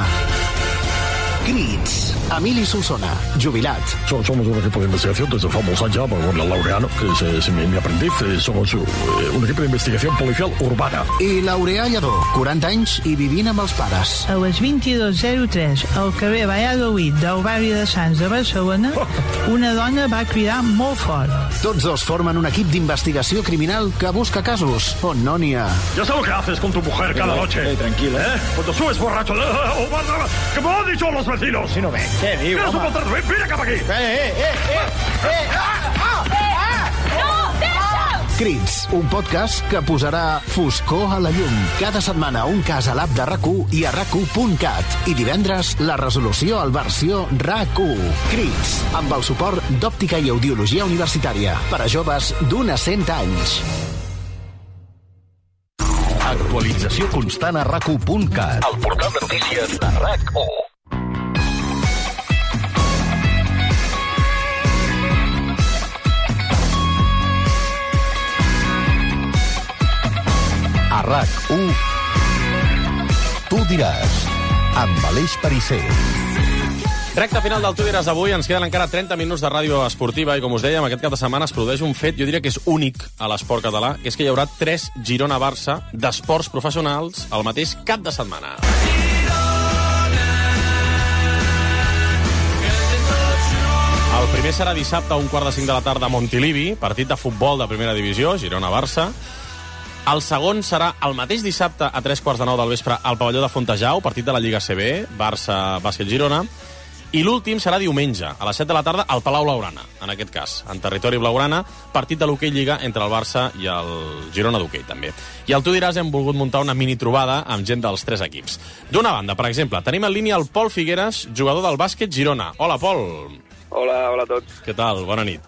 Crits. Emili Solsona, jubilat. Somos un equipo de investigación desde famosa ya, por la Laureano, que es mi aprendiz. Somos un equipo de investigación policial urbana. I Laureà Lledó, 40 anys i vivint amb els pares. A les 22:03, al carrer Valladolid del barri de Sants de Barcelona, una dona va cridar molt fort. Tots dos formen un equip d'investigació criminal que busca casos on no n'hi ha. Ya sabes lo que haces con tu mujer cada noche. Tranquila. Cuando subes borracho... ¡Que me lo han dicho los vecinos! Si no ve. Què diu, home? Vine cap aquí! Crits, un podcast que posarà foscor a la llum. Cada setmana un cas a l'app de RAC1 i a RAC1.cat. I divendres la resolució al versió RAC1. Crits, amb el suport d'Òptica i Audiologia Universitària. Per a joves d'un a 100 anys. Actualització constant a RAC1.cat. El portal de notícies de RAC1. A RAC1, tu diràs, amb Aleix Perisser. Recta final del Tu diràs d'avui. Ens queden encara 30 minuts de ràdio esportiva i, com us dèiem, aquest cap de setmana es produeix un fet, jo diria que és únic a l'esport català, que és que hi haurà 3 Girona-Barça d'esports professionals el mateix cap de setmana. El primer serà dissabte a 4:45 de la tarda a Montilivi, partit de futbol de primera divisió, Girona-Barça. El segon serà el mateix dissabte a 3:15 del vespre al pavelló de Fontejau, partit de la Lliga CB, Barça-Bàsquet-Girona. I l'últim serà diumenge, a les 7 de la tarda, al Palau Blaugrana, en aquest cas, en territori blaugrana, partit de l'hoquei Lliga entre el Barça i el Girona d'hoquei, també. I al Tu diràs hem volgut muntar una mini trobada amb gent dels 3 equips. D'una banda, per exemple, tenim en línia el Pol Figueres, jugador del bàsquet Girona. Hola, Pol. Hola a tots. Què tal? Bona nit.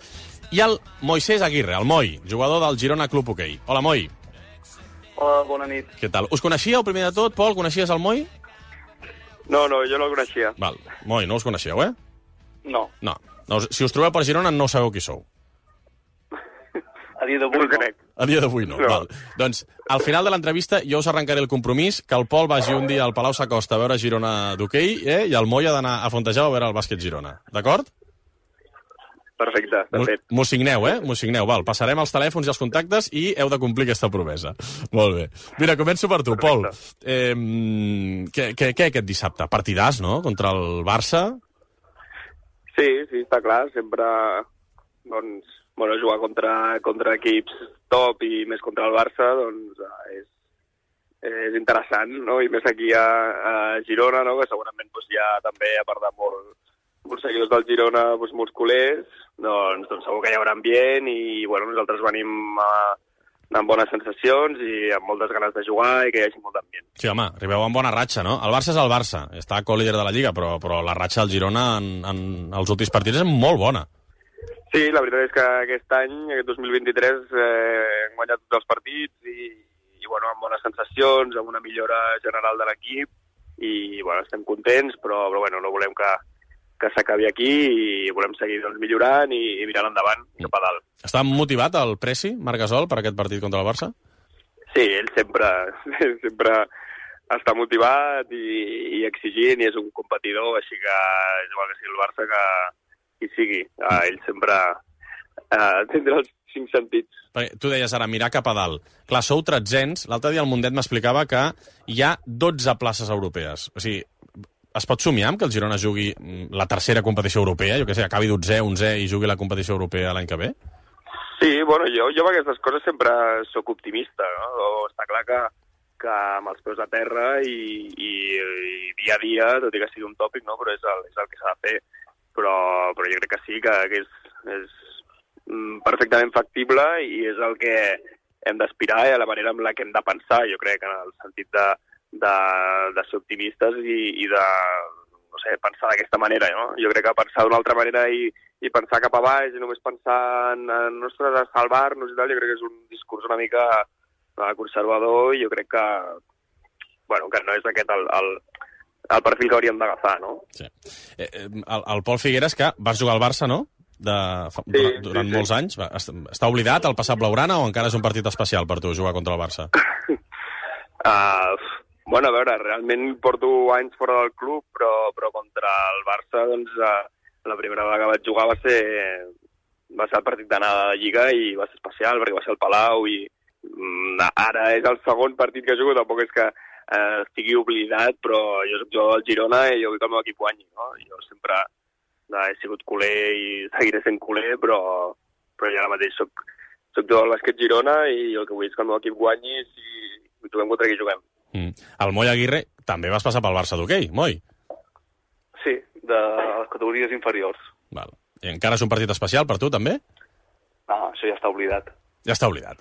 I el Moisés Aguirre, el Moi, jugador del Girona Club Hoquei. Hola, Moi. Hola, bona nit. Què tal? Us coneixíeu, primer de tot, Pol? Coneixies el Moi? No, jo no el coneixia. Val. Moi, no us coneixeu, No. No. Si us trobeu per Girona, no sabeu qui sou. A dia d'avui no. A dia d'avui no. Val. Doncs, al final de l'entrevista, jo us arrencaré el compromís que el Pol vagi un dia al Palau Sa Costa a veure Girona d'hoquei, i el Moi ha d'anar a Fontejau a veure el bàsquet Girona. D'acord? Perfecte, perfecte. M'ho signeu, M'ho signeu, val. Passarem els telèfons i els contactes i heu de complir aquesta promesa. Molt bé. Mira, començo per tu, Pol. Què aquest dissabte? Partidàs, no?, contra el Barça? Sí, està clar. Sempre, jugar contra equips top i més contra el Barça, és interessant, no? I més aquí a Girona, no?, que segurament hi ha també, a part de molts seguidors del Girona, molts culers, doncs segur que hi haurà ambient i nosaltres venim amb bones sensacions i amb moltes ganes de jugar i que hi hagi molt d'ambient. Sí, home, arribeu amb bona ratxa, no? El Barça és el Barça, està co-líder de la Lliga, però la ratxa del Girona en els últims partits és molt bona. Sí, la veritat és que aquest any, aquest 2023, hem guanyat tots els partits i amb bones sensacions, amb una millora general de l'equip i estem contents, però no volem que s'acabi aquí i volem seguir millorant i mirant endavant cap a dalt. Està motivat el Presi, Marc Gasol, per aquest partit contra el Barça? Sí, ell sempre està motivat i exigint i és un competidor, així que és igual que sigui el Barça que hi sigui. Ell sempre tindrà els 5 sentits. Tu deies ara, mirar cap a dalt. Clar, sou 300. L'altre dia el Mundet m'explicava que hi ha 12 places europees. O sigui, es pot somiar amb que el Girona jugui la tercera competició europea? Jo què sé, acabi 12è, 11è i jugui la competició europea l'any que ve? Sí, jo amb aquestes coses sempre sóc optimista, no? Està clar que amb els peus a terra i dia a dia, tot i que sigui un tòpic, no? Però és el que s'ha de fer. Però jo crec que sí, que és perfectament factible i és el que hem d'aspirar i a la manera amb la que hem de pensar, jo crec, en el sentit de ser optimistes i de pensar d'aquesta manera, no? Jo crec que pensar d'una altra manera i i pensar cap a baix i només pensar en nostres salvar-nos i tal, jo crec que és un discurs una mica conservador i jo crec que, bueno, que no és aquest el perfil que hauríem d'agafar, no? Sí. El Pol Figueres, que vas jugar al Barça, no? Durant molts anys. Està oblidat el passat blaugrana o encara és un partit especial per tu jugar contra el Barça? Bueno, a veure, realment porto anys fora del club, però contra el Barça, doncs, la primera vegada que vaig jugar va ser el partit d'anada de Lliga i va ser especial perquè va ser al Palau i ara és el segon partit que jugo, tampoc és que estigui oblidat, però jo soc jugador del Girona i jo vull que el meu equip guanyi, no? Jo sempre he sigut culer i seguiré sent culer, però jo ara mateix soc jugador del bàsquet Girona i el que vull és que el meu equip guanyi si juguem contra qui juguem. El Moi Aguirre també vas passar pel Barça d'hoquei, Moi? Sí, de les categories inferiors. Val. I encara és un partit especial per tu, també? No, això ja està oblidat. Ja està oblidat,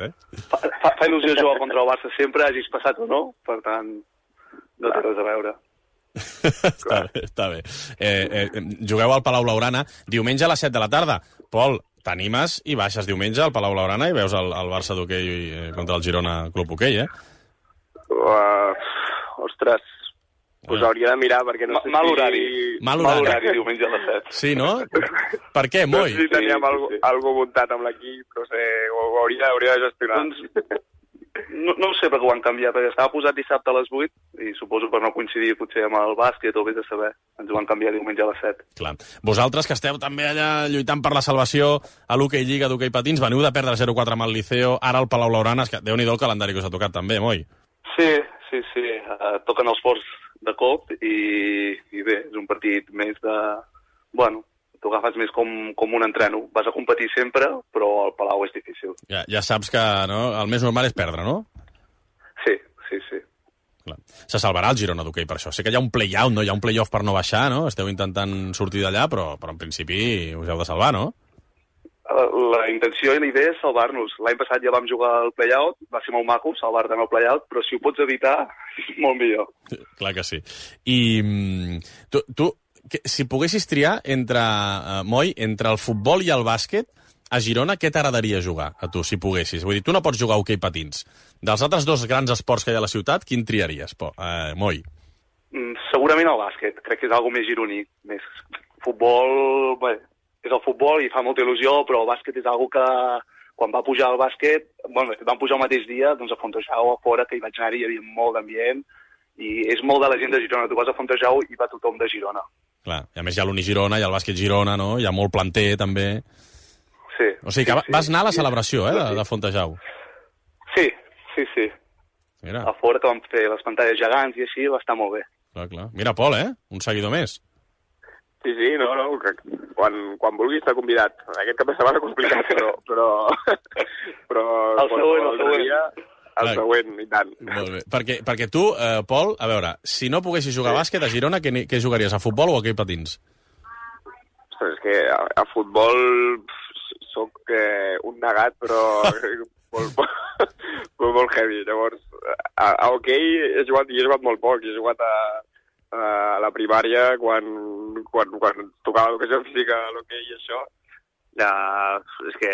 Fa il·lusió jugar contra el Barça sempre, hagis passat o no, per tant, no té res a veure. Està bé. Jugueu al Palau Blaugrana diumenge a les 7 de la tarda. Pol, t'animes i baixes diumenge al Palau Blaugrana i veus el Barça d'hoquei contra el Girona Club Hoquei, Ostres, us hauria de mirar perquè no sé Mal horari. Mal horari diumenge a les 7. Sí, no? Per què, Moi? No sé si teníem algú muntat amb l'equip, no sé, ho hauria de gestionar. No ho sé perquè ho han canviat, perquè estava posat dissabte a les 8 i suposo per no coincidir potser amb el bàsquet o vés a saber. Ens ho van canviar diumenge a les 7. Clar. Vosaltres que esteu també allà lluitant per la salvació a l'hoquei Lliga d'hoquei patins, veniu de perdre 0-4 amb el Liceo, ara al Palau Blaugrana, que Déu-n'hi-do el calendari que us ha tocat també, Moi. Sí. Toquen els forts de cop i bé, és un partit més de... Bueno, t'ho agafes més com un entreno. Vas a competir sempre, però al Palau és difícil. Ja saps que el més normal és perdre, no? Sí. Clar. Se salvarà el Girona d'hoquei per això. Sé que hi ha un play-out, no? Hi ha un play-off per no baixar, no? Esteu intentant sortir d'allà, però en principi us heu de salvar, no? La intenció i la idea és salvar-nos. L'any passat ja vam jugar al play-out, va ser molt maco salvar-te en el play-out, però si ho pots evitar, molt millor. Clar que sí. I tu si poguessis triar Moi, entre el futbol i el bàsquet, a Girona, què t'agradaria jugar, a tu, si poguessis? Vull dir, tu no pots jugar a hoquei patins. Dels altres dos grans esports que hi ha a la ciutat, quin triaries, Moi? Segurament el bàsquet. Crec que és algo més gironí. Més futbol... Bé, és el futbol i fa molta il·lusió, però el bàsquet és algo que quan va pujar al bàsquet, bueno, vam pujar el mateix dia, doncs a Fontejau, a fora, que hi vaig anar-hi, hi havia molt d'ambient, i és molt de la gent de Girona. Tu vas a Fontejau i va tothom de Girona. Clar, i a més hi ha l'Unigirona, hi ha el bàsquet Girona, no? Hi ha molt planter, també. Sí. O sigui que vas anar a la celebració, de Fontejau. Sí. Mira. A fora que vam fer les pantalles gegants i així, va estar molt bé. Clar. Mira, Pol, un seguidor més. Sí, no, quan vulguis estar convidat. Aquest cap de setmana complicat, però el següent. El següent, i tant. Molt bé. Perquè tu, Pol, a veure, si no poguessis jugar a bàsquet a Girona, què jugaries, a futbol o a hoquei patins? Ostres, és que a futbol soc un negat, però molt heavy. Llavors, a hoquei he jugat molt poc, he jugat a la primària quan tocava l'educació física a l'hoquei i això. És que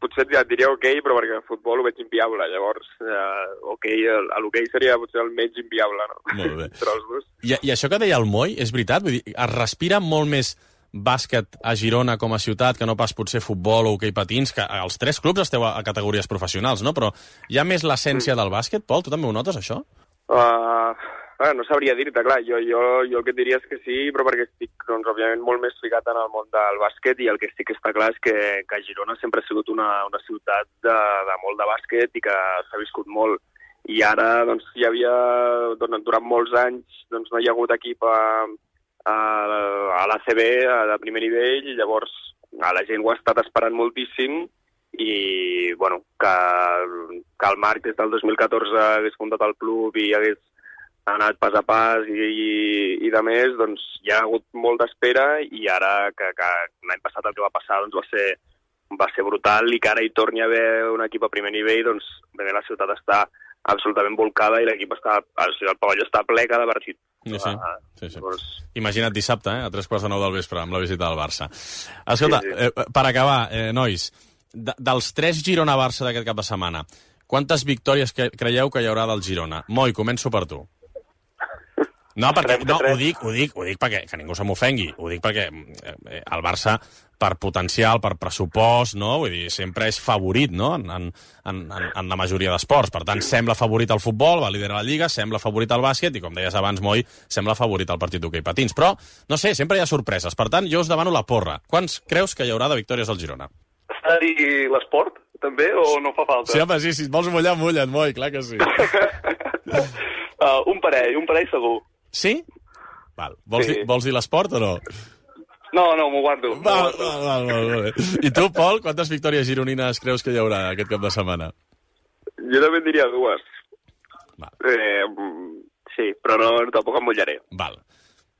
potser et diria hoquei, però perquè el futbol ho veig inviable. Llavors, l'hoquei seria potser el menys inviable, no? Molt bé. Entre els dos. I això que deia el Moi, és veritat? Vull dir, es respira molt més bàsquet a Girona com a ciutat que no pas potser futbol o hoquei patins, que els tres clubs esteu a categories professionals, no? Però hi ha més l'essència del bàsquet, Pol? Tu també ho notes, això? No sabria dir-te, clar, jo el que et diria és que sí, però perquè estic, doncs, òbviament, molt més ficat en el món del bàsquet i el que sí que està clar és que Girona sempre ha sigut una ciutat de molt de bàsquet i que s'ha viscut molt. I ara, doncs, hi havia, durant molts anys, doncs, no hi ha hagut equip a l'ACB, de primer nivell, i llavors la gent ho ha estat esperant moltíssim i, bueno, que el Marc des del 2014 hagués fundat el club i hagués anat pas a pas i de més, doncs hi ha hagut molt d'espera i ara que l'any passat el que va passar doncs va ser brutal i que ara hi torni a haver un equip a primer nivell, doncs la ciutat està absolutament volcada i l'equip el pavelló està ple cada partit. Sí. Imagina't dissabte, a 3:45 del vespre, amb la visita del Barça. Escolta, per acabar, nois, dels 3 Girona-Barça d'aquest cap de setmana, quantes victòries creieu que hi haurà del Girona? Moi, començo per tu. No, perquè, ho dic perquè, que ningú se m'ofengui, ho dic perquè el Barça, per potencial, per pressupost, no? Vull dir, sempre és favorit, no?, en la majoria d'esports. Per tant, sembla favorit al futbol, va liderar la Lliga, sembla favorit al bàsquet, i com deies abans, Moi, sembla favorit al partit d'hoquei patins. Però, no sé, sempre hi ha sorpreses. Per tant, jo us demano la porra. Quants creus que hi haurà de victòries al Girona? Està a dir l'esport, també, o no fa falta? Sí, home, sí, si et vols mullar, mulla't, Moi, clar que sí. Un parell segur. Sí? Val. Vols dir l'esport o no? No, m'ho guardo. Val, molt bé. I tu, Pol, quantes victòries gironines creus que hi haurà aquest cap de setmana? Jo també diria 2. Sí, però no, tampoc em mullaré. Val.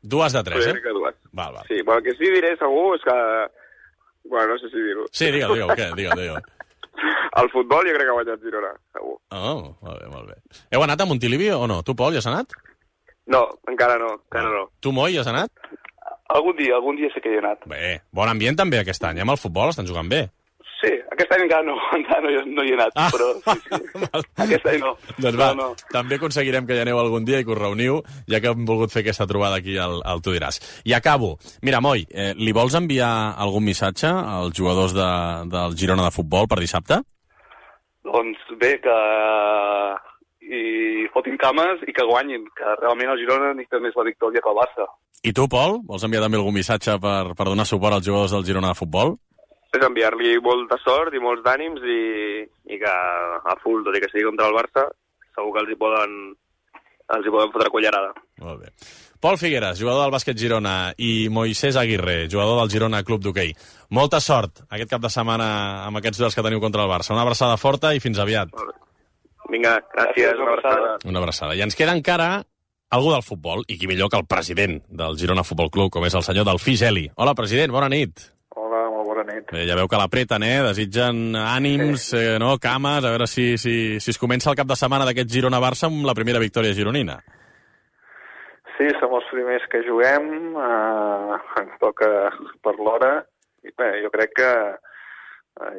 2 de 3, Crec que 2. Val. Sí, el que sí diré segur és que... Bueno, no sé si dir-ho. Sí, digue-ho, què? Digue-ho. El futbol jo crec que ha guanyat Girona, segur. Oh, molt bé. Heu anat a Montilivi o no? Tu, Pol, ja has anat? No, encara no. Tu, Moi, ja has anat? Algun dia sí que hi he anat. Bé, bon ambient també aquest any, amb el futbol estan jugant bé. Sí, aquest any encara no hi he anat, però sí. Aquest any no. Doncs va, també aconseguirem que hi aneu algun dia i que us reuniu, ja que hem volgut fer aquesta trobada aquí al Tu diràs. I acabo. Mira, Moi, li vols enviar algun missatge als jugadors del Girona de futbol per dissabte? Doncs bé, que i fotin cames i que guanyin, que realment el Girona necessita més la victòria que el Barça. I tu, Pol, vols enviar també algun missatge per donar suport als jugadors del Girona de futbol? És enviar-li molta sort i molts d'ànims i que a full, tot i que sigui contra el Barça, segur que els hi poden fotre cullerada. Molt bé. Pol Figueres, jugador del bàsquet Girona, i Moisés Aguirre, jugador del Girona Club d'Hoquei. Molta sort aquest cap de setmana amb aquests duels que teniu contra el Barça. Una abraçada forta i fins aviat. Vinga, gràcies, una abraçada. Una abraçada. I ens queda encara algú del futbol, i qui millor que el president del Girona Futbol Club, com és el senyor Delfí Geli. Hola, president, bona nit. Hola, molt bona nit. Bé, ja veu que l'apreten, desitgen ànims, cames, a veure si es comença el cap de setmana d'aquest Girona-Barça amb la primera victòria gironina. Sí, som els primers que juguem, ens toca per l'hora, i bé, jo crec que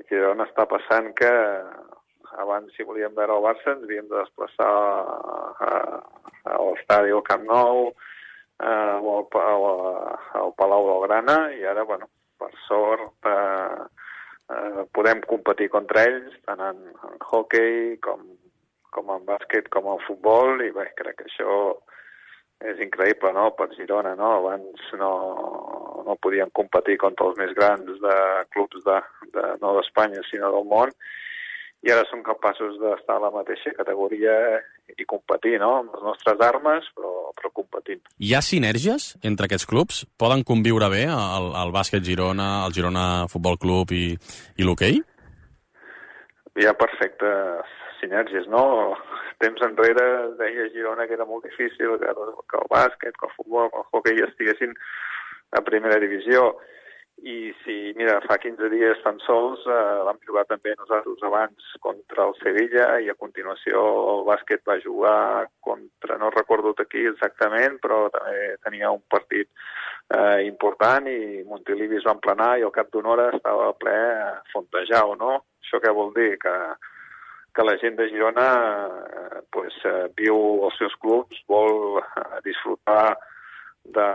Girona està passant que abans, si volíem veure el Barça, ens havíem de desplaçar a l'estadi al Camp Nou o al Palau Blaugrana, i ara, bueno, per sort podem competir contra ells, tant en hoquei com en bàsquet, com en futbol, i bé, crec que això és increïble, no?, per Girona, no? Abans no podíem competir contra els més grans de clubs no d'Espanya, sinó del món, i ara som capaços d'estar a la mateixa categoria i competir, no?, amb les nostres armes, però competint. Hi ha sinergies entre aquests clubs? Poden conviure bé el bàsquet Girona, el Girona Futbol Club i l'hoquei? Hi ha perfectes sinergies, no? Temps enrere deia Girona que era molt difícil que el bàsquet, que el futbol, que el hoquei estiguessin a primera divisió. I si, mira, fa 15 dies tan sols vam jugar també nosaltres abans contra el Sevilla, i a continuació el bàsquet va jugar contra, no recordo aquí exactament, però també tenia un partit important, i Montilivi es va emplenar i al cap d'una hora estava ple fontejau, no? Això què vol dir? Que la gent de Girona viu els seus clubs, vol disfrutar de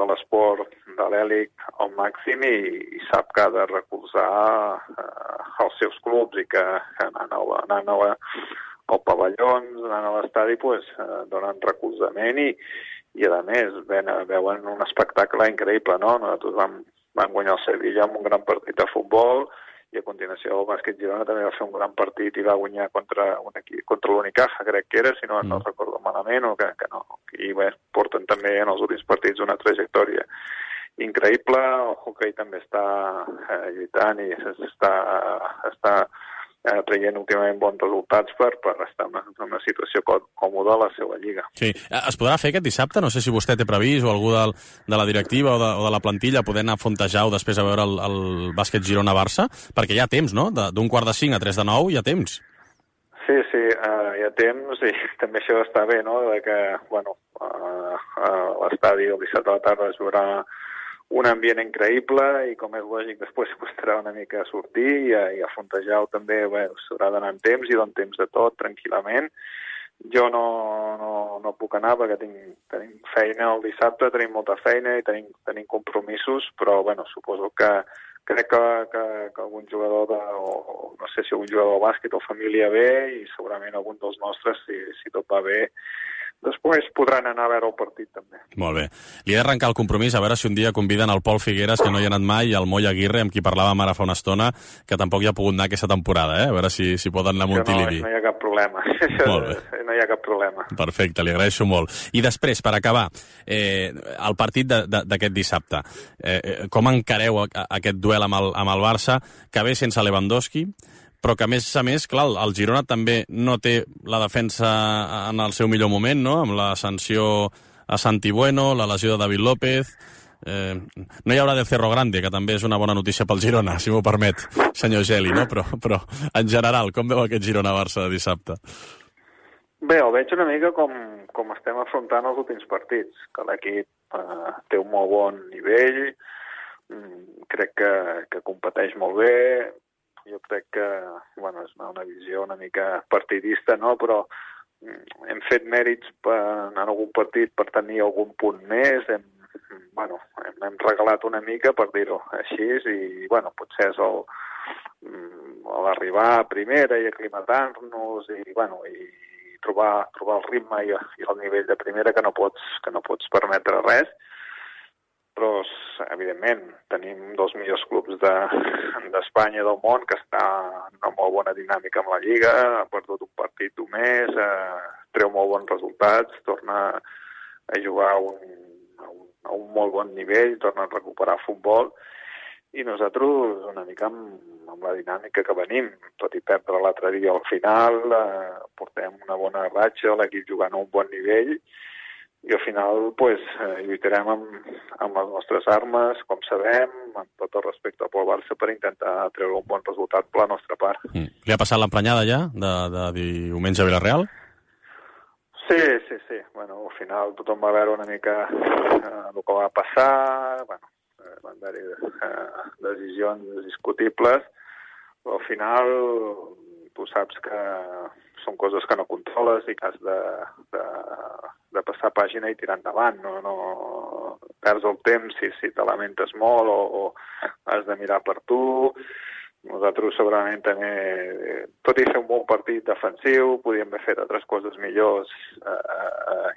l'esport de l'èlit al màxim, i sap que ha de recolzar els seus clubs, i que anant al pavellons, anant a l'estadi, donen recolzament, i a més veuen un espectacle increïble, no? Nosaltres vam guanyar el Sevilla amb un gran partit de futbol, i a continuació el bàsquet Girona també va fer un gran partit i va guanyar contra l'Unicaja, crec que era, si no recordo malament, o que no. I bé, porten també en els últims partits una trajectòria increïble. El hoquei també està lluitant i està traient últimament bons resultats per estar en una situació còmoda a la seva lliga. Sí. Es podrà fer aquest dissabte? No sé si vostè té previst, o algú de la directiva o de la plantilla, poder anar a Fontejau després a veure el bàsquet Girona-Barça, perquè hi ha temps, no? D'un 4:45 a 3:09 hi ha temps. Sí, hi ha temps, i també això està bé, no?, que, bueno, a l'estadi el dissabte a la tarda es veurà un ambient increïble i, com és lògic, després costarà una mica sortir i a Fontejau també s'haurà d'anar en temps i don temps de tot, tranquil·lament. Jo no puc anar perquè tenim feina el dissabte, tenim molta feina i tenim compromisos, però suposo que crec que algun jugador o no sé si algun jugador de bàsquet o família ve i segurament algun dels nostres, si tot va bé, després podran anar a veure el partit també. Molt bé. Li he d'arrencar el compromís a veure si un dia conviden el Pol Figueres, que no hi ha anat mai, i el Moll Aguirre, amb qui parlàvem ara fa una estona, que tampoc hi ha pogut anar aquesta temporada, a veure si poden anar a Montilivi. No hi ha cap problema. Molt bé. No hi ha cap problema. Perfecte, li agraeixo molt. I després, per acabar, el partit d'aquest dissabte. Com encareu aquest duel amb el Barça, que ve sense Lewandowski, però que, a més, clar, el Girona també no té la defensa en el seu millor moment, no?, amb la sanció a Santi Bueno, la lesió de David López. No hi haurà de Cerro Grande, que també és una bona notícia pel Girona, si m'ho permet, senyor Geli, no? Però en general, com veu aquest Girona-Barça de dissabte? Bé, ho veig una mica com estem afrontant els últims partits, que l'equip té un molt bon nivell, crec que competeix molt bé. Jo crec que, és una visió una mica partidista, no?, però hem fet mèrits en algun partit per tenir algun punt més, hem regalat una mica, per dir-ho així, i, potser és l'arribar a primera i aclimatar-nos i trobar el ritme i el nivell de primera que no pots permetre res. Però, evidentment, tenim dos millors clubs d'Espanya i del món, que està en una molt bona dinàmica amb la Lliga, ha perdut un partit només, treu molt bons resultats, torna a jugar a un molt bon nivell, torna a recuperar futbol, i nosaltres una mica amb la dinàmica que venim, tot i perdre l'altre dia al final, portem una bona ratxa, l'equip jugant a un bon nivell, i al final lluitarem amb les nostres armes, com sabem, amb tot el respecte pel Barça, per intentar treure un bon resultat per la nostra part. Li ha passat l'emprenyada ja, de diumenge a Villarreal? Sí. Al final tothom va veure una mica el que va passar, van haver-hi decisions discutibles, però al final tu saps que són coses que no controles i que has de passar pàgina i tirar endavant. No perds el temps si te lamentes molt o has de mirar per tu. Nosaltres segurament també, tot i fer un bon partit defensiu, podíem haver fet altres coses millors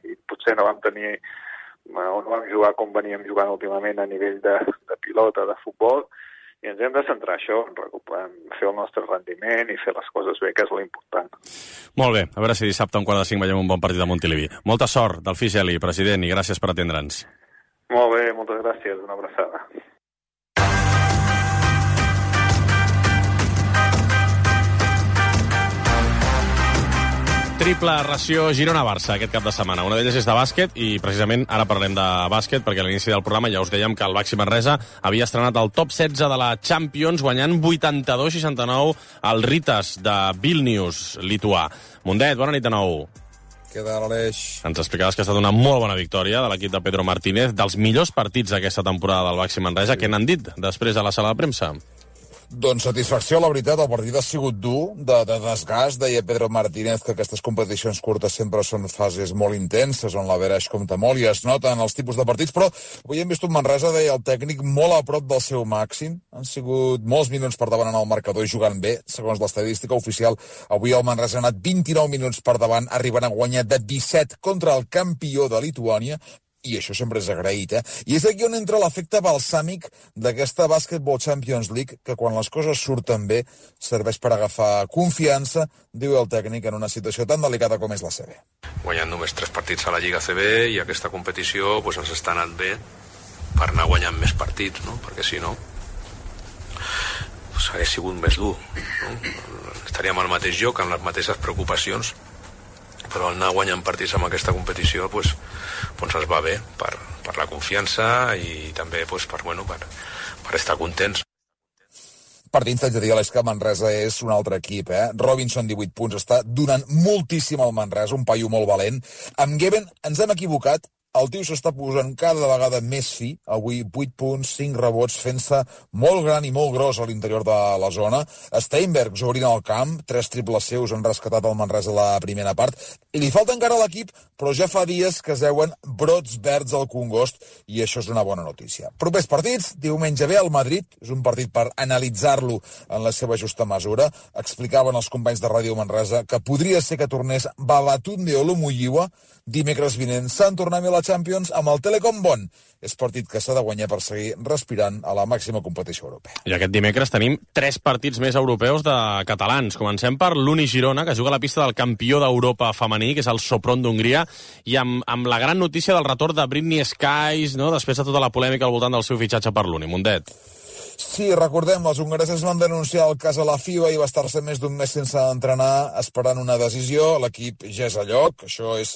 i potser no vam jugar com veníem jugant últimament a nivell de pilota, de futbol, i ens hem de centrar això, fer el nostre rendiment i fer les coses bé, que és l'important. Molt bé, a veure si dissabte a 4:45 veiem un bon partit a Montilivi. Molta sort, Delfí Geli, president, i gràcies per atendre'ns. Molt bé, moltes gràcies, una abraçada. Triple ració Girona-Barça aquest cap de setmana. Una d'elles és de bàsquet i precisament ara parlem de bàsquet perquè a l'inici del programa ja us dèiem que el Baxi Manresa havia estrenat el top 16 de la Champions guanyant 82-69 al Ritas de Vilnius, lituà. Mundet, bona nit de nou. Què tal, Aleix? Ens explicaves que ha estat una molt bona victòria de l'equip de Pedro Martínez, dels millors partits d'aquesta temporada del Baxi Manresa. Què n'han dit després a la sala de premsa? Doncs satisfacció, la veritat, el partit ha sigut dur, de desgast. Deia Pedro Martínez que aquestes competicions curtes sempre són fases molt intenses, on l'average compta molt i es nota en els tipus de partits, però avui hem vist un Manresa, deia el tècnic, molt a prop del seu màxim. Han sigut molts minuts per davant en el marcador i jugant bé, segons l'estadística oficial. Avui el Manresa ha anat 29 minuts per davant, arribant a guanyar de 17 contra el campió de Lituània, i això sempre és agraït, I és aquí on entra l'efecte balsàmic d'aquesta Basketball Champions League, que quan les coses surten bé serveix per agafar confiança, diu el tècnic, en una situació tan delicada com és la CB. Guanyant només 3 partits a la Lliga CB i aquesta competició ens està anant bé per anar guanyant més partits, no? Perquè si no hagués sigut més dur, no? Estaríem al mateix lloc, amb les mateixes preocupacions, però anar guanyant partits amb aquesta competició ens va bé per la confiança i també per estar contents. partits, t'haig de dir, Aleix, que Manresa és un altre equip, Robinson, 18 punts, està donant moltíssim al Manresa, un paio molt valent. Amb Geben ens hem equivocat, el tio s'està posant cada vegada més fi, avui 8 punts, 5 rebots, fent-se molt gran i molt gros a l'interior de la zona. Steinberg obrint el camp, 3 triples seus han rescatat el Manresa a la primera part, i li falta encara a l'equip, però ja fa dies que es veuen brots verds al Congost, i això és una bona notícia. Propers partits, diumenge ve al Madrid, és un partit per analitzar-lo en la seva justa mesura. Explicaven els companys de Ràdio Manresa que podria ser que tornés Babatunde Olumuyiwa. Dimecres vinent s'han tornat a la Champions amb el Telecom Bon. És partit que s'ha de guanyar per seguir respirant a la màxima competició europea. I aquest dimecres tenim 3 partits més europeus de catalans. Comencem per l'Uni Girona, que juga a la pista del campió d'Europa femení, que és el Sopron d'Hongria, i amb la gran notícia del retorn de Britney Skies, no?, després de tota la polèmica al voltant del seu fitxatge per l'Uni. Mundet. Sí, recordem, les hongareses van denunciar el cas a la FIBA i va estar-se més d'un mes sense entrenar esperant una decisió. L'equip ja és a lloc. Això és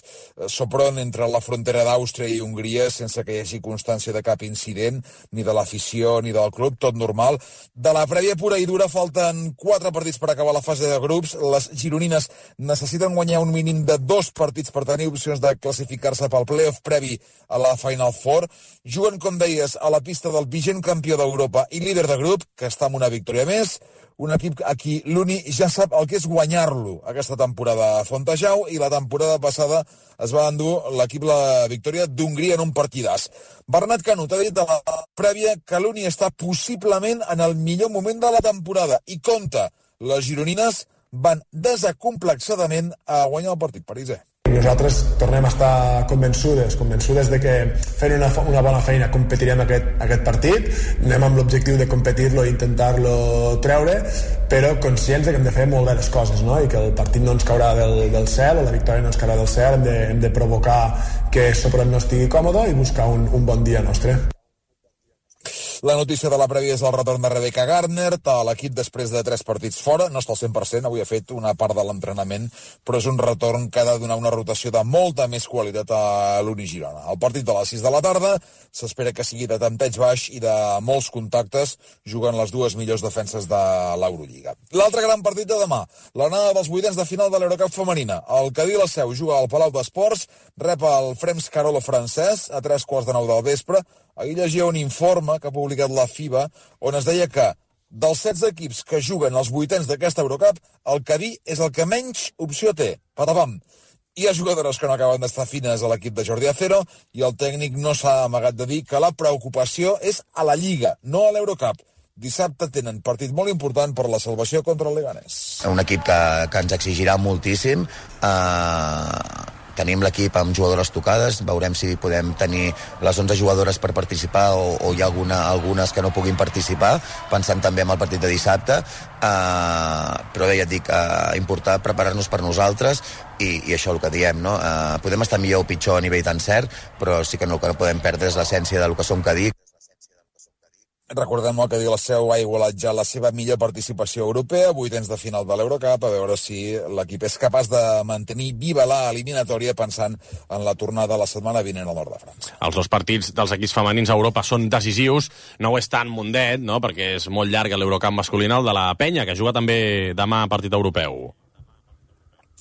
Sopron entre la frontera d'Àustria i Hongria, sense que hi hagi constància de cap incident, ni de l'afició ni del club, tot normal. De la prèvia pura i dura falten 4 partits per acabar la fase de grups. Les gironines necessiten guanyar un mínim de 2 partits per tenir opcions de classificar-se pel playoff previ a la Final Four. Juguen, com deies, a la pista del vigent campió d'Europa i líder de grup, que està amb una victòria més, un equip a qui l'Uni ja sap el que és guanyar-lo aquesta temporada a Fontejau, i la temporada passada es va endur l'equip la victòria d'Hongria en un partidàs. Bernat Canut ha dit a la prèvia que l'Uni està possiblement en el millor moment de la temporada i compta, les gironines van desacomplexadament a guanyar el partit pariser. Nosaltres tornem a estar convençudes de que fent una bona feina competirem aquest partit, anem amb l'objectiu de competir-lo i intentar-lo treure, però conscients que hem de fer molt bé les coses, no? I que el partit no ens caurà del cel, o la victòria no ens caurà del cel, hem de provocar que Sopron no estigui còmode i buscar un bon dia nostre. La notícia de la prèvia és el retorn de Rebecca Gardner, l'equip després de 3 partits fora, no està al 100%, avui ha fet una part de l'entrenament, però és un retorn que ha de donar una rotació de molta més qualitat a l'Uni Girona. El partit de les 6 de la tarda s'espera que sigui de tanteig baix i de molts contactes, jugant les 2 millors defenses de l'Eurolliga. L'altre gran partit de demà, l'anada dels vuitens de final de l'Eurocup femenina. El Cadí la Seu juga al Palau d'Esports, rep el Frems Carolo francès a 3:45 del vespre. Ahir llegia un informe que ha publicat la FIBA on es deia que dels 16 equips que juguen als vuitens d'aquesta Eurocup, el Cadí és el que menys opció té. Patapam! Hi ha jugadores que no acaben d'estar fines a l'equip de Jordi Acero i el tècnic no s'ha amagat de dir que la preocupació és a la Lliga, no a l'Eurocup. Dissabte tenen partit molt important per la salvació contra el Leganés. Un equip que ens exigirà moltíssim. Tenim l'equip amb jugadores tocades, veurem si podem tenir les 11 jugadores per participar o hi ha algunes que no puguin participar, pensant també en el partit de dissabte, però bé, ja et dic, important preparar-nos per nosaltres i això el que diem, no? Podem estar millor o pitjor a nivell d'encert, però sí que el que no podem perdre és l'essència del que som Cadí. Recordem que la Seu ha igualat ja la seva millor participació europea, vuitens de final de l'Eurocup, a veure si l'equip és capaç de mantenir viva la eliminatòria pensant en la tornada la setmana vinent al nord de França. Els 2 partits dels equips femenins a Europa són decisius, no ho és tant Mundet, no?, perquè és molt llarg l'Eurocup masculina, el de la Penya, que juga també demà partit europeu.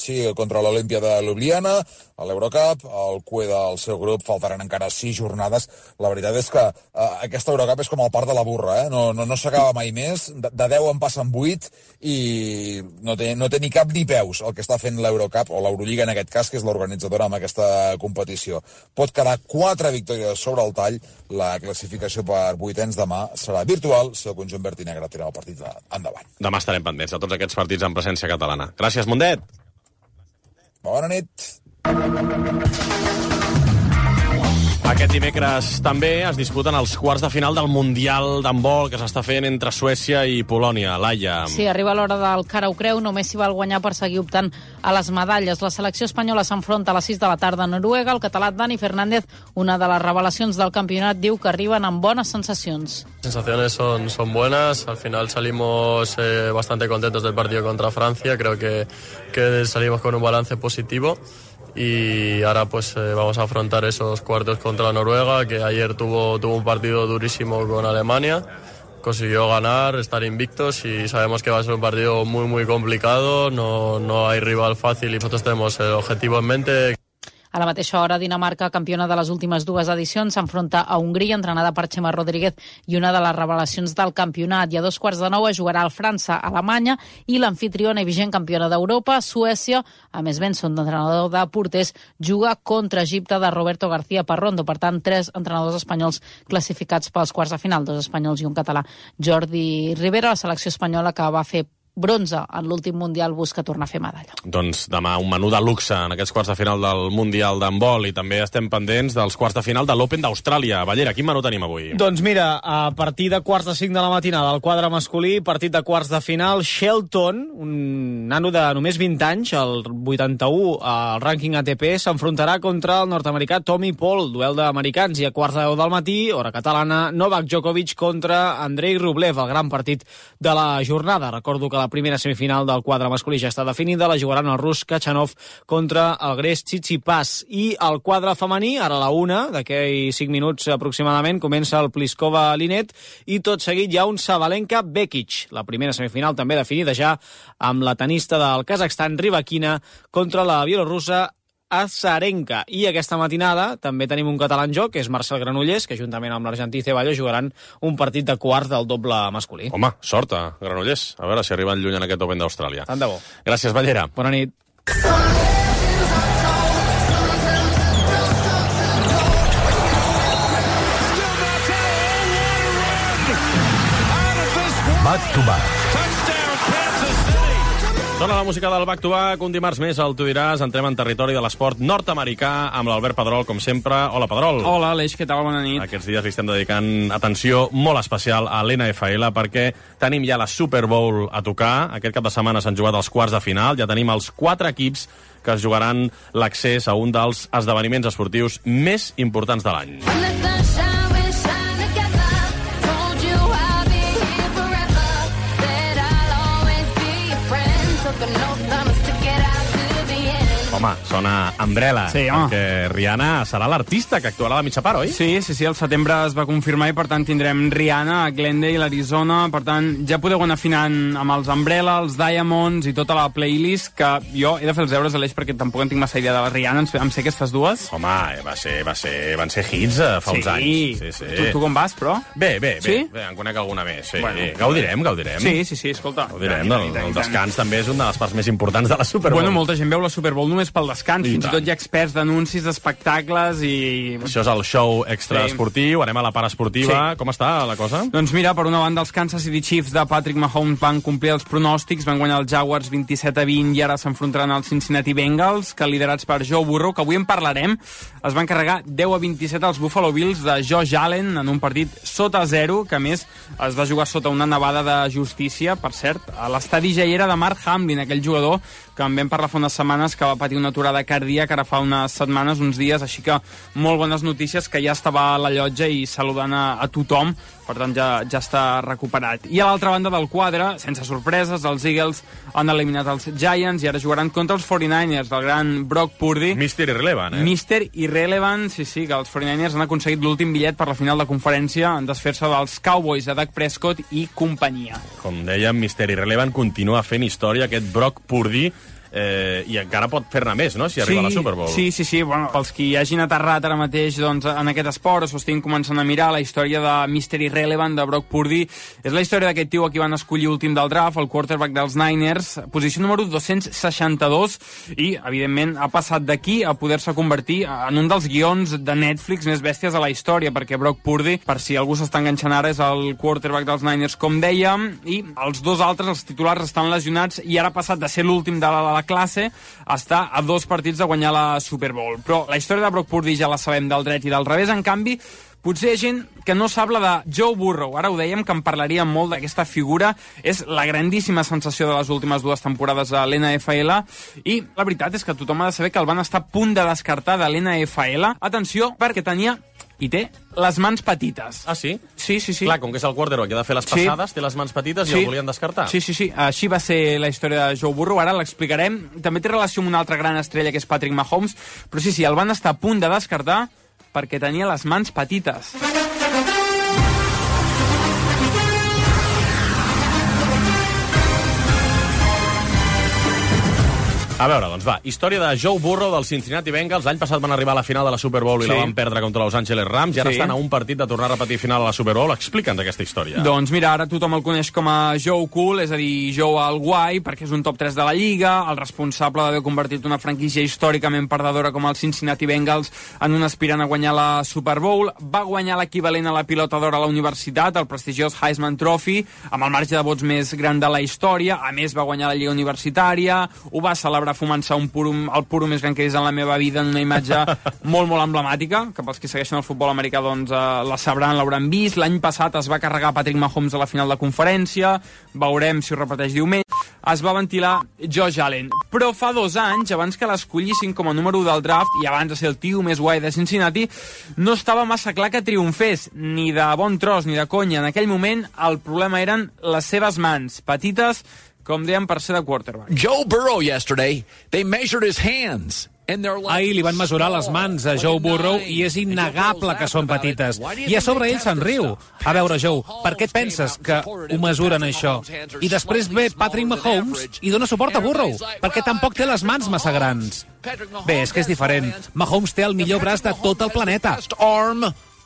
Sí, contra l'Olímpia de Ljubljana, a l'Eurocup, el CUE del seu grup, faltaran encara 6 jornades. La veritat és que aquesta Eurocup és com el part de la burra, no s'acaba mai més, de 10 en passen 8 i no té ni cap ni peus el que està fent l'Eurocup, o l'Eurolliga en aquest cas, que és l'organitzadora amb aquesta competició. Pot quedar 4 victòries sobre el tall, la classificació per vuitens demà serà virtual si el conjunt verd i negre tira el partit endavant. Demà estarem pendents de tots aquests partits en presència catalana. Gràcies, Mundet. Bona nit. Aquest dimecres també es disputen els quarts de final del Mundial d'handbol que s'està fent entre Suècia i Polònia. Laia. Sí, arriba l'hora del cara ho creu, només s'hi val guanyar per seguir optant a les medalles. La selecció espanyola s'enfronta a les 6 de la tarda a Noruega. El català Dani Fernández, una de les revelacions del campionat, diu que arriben amb bones sensacions. Sensaciones son buenas, al final salimos bastante contentos del partido contra Francia, creo que salimos con un balance positivo. Y ahora pues vamos a afrontar esos cuartos contra Noruega, que ayer tuvo un partido durísimo con Alemania, consiguió ganar, estar invictos y sabemos que va a ser un partido muy muy complicado, no hay rival fácil y nosotros tenemos el objetivo en mente. A la mateixa hora, Dinamarca, campiona de les últimes 2 edicions, s'enfronta a Hongria, entrenada per Chema Rodríguez, i una de les revelacions del campionat. I a 8:45 es jugarà el França-Alemanya i l'anfitriona i vigent campiona d'Europa, Suècia, a més Benson, d'entrenador de porters, juga contra Egipte de Roberto García Parrondo. Per tant, 3 entrenadors espanyols classificats pels quarts de final, 2 espanyols i un català. Jordi Rivera, la selecció espanyola que va fer bronze en l'últim Mundial, busca tornar a fer medalla. Doncs demà un menú de luxe en aquests quarts de final del Mundial d'handbol i també estem pendents dels quarts de final de l'Open d'Austràlia. Ballera, quin menú tenim avui? Doncs mira, a partir de quarts de 5 de la matinada, el quadre masculí, partit de quarts de final, Shelton, un nano de només 20 anys, el 81 al rànquing ATP, s'enfrontarà contra el nord-americà Tommy Paul, duel d'americans, i a quarts de 10 del matí, hora catalana, Novak Djokovic contra Andrei Rublev, el gran partit de la jornada. Recordo que la primera semifinal del quadre masculí ja està definida, la jugaran el rus Kachanov contra el grec Tsitsipas. I el quadre femení, ara a la 1, d'aquí 5 minuts aproximadament, comença el Pliskova-Linet i tot seguit hi ha un Sabalenka-Bekic. La primera semifinal també definida ja amb la tenista del Kazakhstan, Rybakina, contra la bielorussa Azarenka. I aquesta matinada també tenim un català en joc, que és Marcel Granollers, que juntament amb l'argentí Ceballos jugaran un partit de quarts del doble masculí. Home, sort a Granollers. A veure si arriben lluny en aquest Open d'Austràlia. Tant de bo. Gràcies, Ballera. Bona nit. Back to back. Sona la música del Back to Back, un dimarts més al Tu diràs, entrem en territori de l'esport nord-americà amb l'Albert Pedrol, com sempre. Hola, Pedrol. Hola, Aleix, què tal? Bona nit. Aquests dies li estem dedicant atenció molt especial a l'NFL perquè tenim ja la Super Bowl a tocar. Aquest cap de setmana s'han jugat els quarts de final, ja tenim els 4 equips que es jugaran l'accés a un dels esdeveniments esportius més importants de l'any. Home, sona Umbrella, sí, perquè Rihanna serà l'artista que actuarà a la mitja part, oi? Sí, el setembre es va confirmar i per tant tindrem Rihanna a Glendale, l'Arizona, per tant ja podeu anar afinant amb els Umbrella, els Diamonds i tota la playlist, que jo he de fer els deures, Aleix, perquè tampoc en tinc massa idea de la Rihanna, em sé aquestes dues. Home, van ser hits fa uns anys. Sí. Tu com vas, però? Bé, sí? Bé, en conec alguna més. Sí. Bueno, gaudirem. Sí, escolta. Gaudirem, el descans també és una de les parts més importants de la Super Bowl. Bueno, molta gent veu la Super Bowl només pel descans, fins i tot hi ha experts d'anuncis, d'espectacles i... Això és el show extraesportiu, anem a la part esportiva. Sí. Com està la cosa? Doncs mira, per una banda, els Kansas City Chiefs de Patrick Mahomes van complir els pronòstics, van guanyar els Jaguars 27-20 i ara s'enfrontaran als Cincinnati Bengals, que liderats per Joe Burrow, que avui en parlarem, es van carregar 10-27 als Buffalo Bills de Josh Allen en un partit sota 0, que a més es va jugar sota una nevada de justícia, per cert, a l'estadi ja hi era de Mark Hamlin, aquell jugador que en vam parlar fa unes setmanes, que va patir una aturada cardíaca ara fa unes setmanes, uns dies, així que molt bones notícies, que ja estava a la llotja i saludant a tothom, per tant ja està recuperat. I a l'altra banda del quadre, sense sorpreses, els Eagles han eliminat els Giants i ara jugaran contra els 49ers, del gran Brock Purdy. Mr. Irrelevant, Mr. Irrelevant, sí, que els 49ers han aconseguit l'últim bitllet per la final de conferència en desfer-se dels Cowboys de Dak Prescott i companyia. Com dèiem, Mr. Irrelevant continua fent història, aquest Brock Purdy, i encara pot fer-ne més, no?, si arriba a la Super Bowl. Sí, bueno, pels qui hagin aterrat ara mateix doncs, en aquest esport, o s'ho estiguin començant a mirar, la història de Mr. Irrelevant, de Brock Purdy, és la història d'aquest tio a qui van escollir últim del draft, el quarterback dels Niners, posició número 262, i, evidentment, ha passat d'aquí a poder-se convertir en un dels guions de Netflix més bèsties a la història, perquè Brock Purdy, per si algú s'està enganxant ara, és el quarterback dels Niners, com dèiem, i els dos altres, els titulars, estan lesionats, i ara ha passat de ser l'últim de la classe està a 2 partits de guanyar la Super Bowl. Però la història de Brock Purdy ja la sabem del dret i del revés. En canvi, potser hi ha gent que no sap la de Joe Burrow. Ara ho dèiem, que en parlaríem molt d'aquesta figura. És la grandíssima sensació de les últimes 2 temporades a l'NFL i la veritat és que tothom ha de saber que el van estar a punt de descartar de l'NFL. Atenció, perquè tenia i té les mans petites. Ah, sí? Sí. Clar, com que és el quarterback que ha de fer les passades, té les mans petites i el volien descartar. Sí. Així va ser la història de Joe Burrow. Ara l'explicarem. També té relació amb una altra gran estrella, que és Patrick Mahomes, però sí, el van estar a punt de descartar perquè tenia les mans petites. A veure, doncs va, història de Joe Burrow dels Cincinnati Bengals. L'any passat van arribar a la final de la Super Bowl i la van perdre contra Los Angeles Rams, i ara estan a un partit de tornar a repetir final a la Super Bowl. Explica'ns aquesta història. Doncs mira, ara tothom el coneix com a Joe Cool, és a dir, Joe el guai, perquè és un top 3 de la Lliga, el responsable d'haver convertit una franquícia històricament perdedora com els Cincinnati Bengals en un aspirant a guanyar la Super Bowl. Va guanyar l'equivalent a la pilota d'or a la universitat, el prestigiós Heisman Trophy, amb el marge de vots més gran de la història. A més, va guanyar la Lliga Universitària, ho va celebrar fumant-se el puro més gran que he vist en la meva vida, en una imatge molt, molt emblemàtica, que pels que segueixen el futbol americà doncs la sabran, l'hauran vist. L'any passat es va carregar Patrick Mahomes a la final de conferència, veurem si ho repeteix diumenge. Es va ventilar Josh Allen, però fa 2 anys, abans que l'escollissin com a número 1 del draft i abans de ser el tio més guai de Cincinnati, no estava massa clar que triomfés, ni de bon tros ni de conya. En aquell moment el problema eren les seves mans, petites, com deien, per ser de quarterback. Joe Burrow yesterday, they measured his hands. Ahir li van mesurar les mans a Joe Burrow i és innegable que són petites. I a sobre ell se'n riu. A veure, Joe, per què et penses que ho mesuren, això? I després ve Patrick Mahomes i dona suport a Burrow, perquè tampoc té les mans massa grans. Bé, és que és diferent. Mahomes té el millor braç de tot el planeta.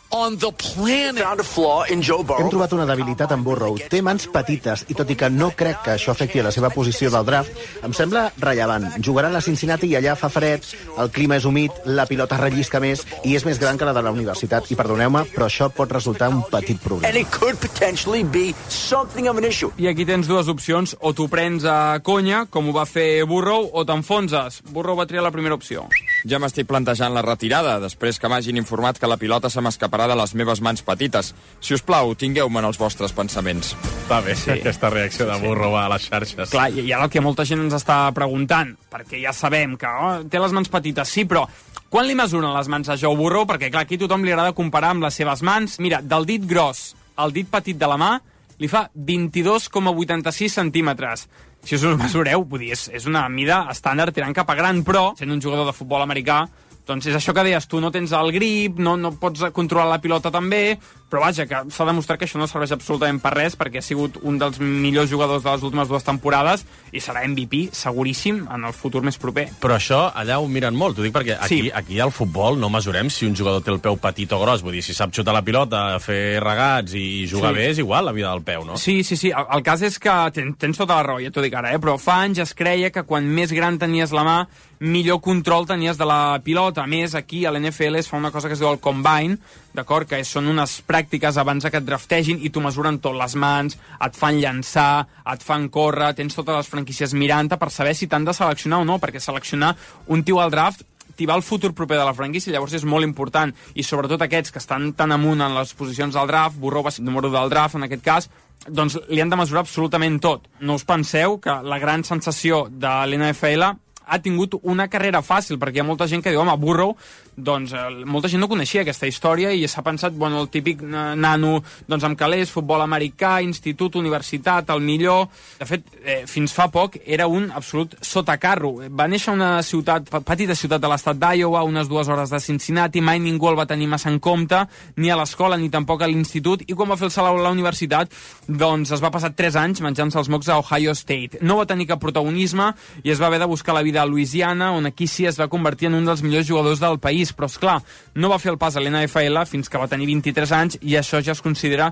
On the planet. Found a flaw in Joe Burrow. Hem trobat una debilitat en Burrow. Té mans petites i tot i que no crec que això afecti a la seva posició del draft, em sembla rellevant. Jugarà a la Cincinnati i allà fa fred, el clima és humit, la pilota rellisca més i és més gran que la de la universitat. I perdoneu-me, però això pot resultar un petit problema. And it could potentially be something of an issue. I aquí tens 2 opcions. O t'ho prens a conya, com ho va fer Burrow, o t'enfonses. Burrow va triar la primera opció. Ja m'estic plantejant la retirada, després que m'hagin informat que la pilota se m'escaparà de les meves mans petites. Si us plau, tingueu-me en els vostres pensaments. Va bé, aquesta reacció de Burrow a les xarxes. Clar, i ara el que molta gent ens està preguntant, perquè ja sabem que té les mans petites, sí, però quan li mesuren les mans a Joe Burrow? Perquè, clar, aquí tothom li agrada comparar amb les seves mans. Mira, del dit gros al dit petit de la mà li fa 22,86 centímetres. Si us ho mesureu, vull dir, és una mida estàndard tirant cap a gran, però, sent un jugador de futbol americà, doncs és això que deies tu, no tens el grip, no pots controlar la pilota tan bé, però vaja, que s'ha demostrat que això no serveix absolutament per res, perquè ha sigut un dels millors jugadors de les últimes 2 temporades i serà MVP, seguríssim, en el futur més proper. Però això allà ho miren molt, t'ho dic perquè aquí al futbol no mesurem si un jugador té el peu petit o gros, vull dir, si sap xutar la pilota, fer regats i jugar bé, és igual la vida del peu, no? Sí, el cas és que tens tota la raó, ja t'ho dic ara, però fa anys es creia que quan més gran tenies la mà, millor control tenies de la pilota. A més, aquí a l'NFL es fa una cosa que es diu el Combine, d'acord? Que són unes pràctiques abans que et draftegin i t'ho mesuren tot, les mans, et fan llançar, et fan córrer, tens totes les franquícies mirant-te per saber si t'han de seleccionar o no, perquè seleccionar un tio al draft t'hi va el futur proper de la franquícia, llavors és molt important, i sobretot aquests que estan tan amunt en les posicions del draft, Burrow va ser número del draft en aquest cas, doncs li han de mesurar absolutament tot. No us penseu que la gran sensació de l'NFL ha tingut una carrera fàcil, perquè hi ha molta gent que diu, home, Burrow, doncs molta gent no coneixia aquesta història i s'ha pensat, bueno, el típic nano doncs amb calés, futbol americà, institut, universitat, el millor. De fet, fins fa poc era un absolut sotacarro. Va néixer a una petita ciutat de l'estat d'Iowa, unes 2 hores de Cincinnati, mai ningú el va tenir massa en compte, ni a l'escola ni tampoc a l'institut, i quan va fer el salt a la universitat, doncs es va passar 3 anys menjant-se els mocs a Ohio State. No va tenir cap protagonisme i es va haver de buscar la vida a Louisiana, on aquí sí es va convertir en un dels millors jugadors del país, però esclar, no va fer el pas a l'NFL fins que va tenir 23 anys i això ja es considera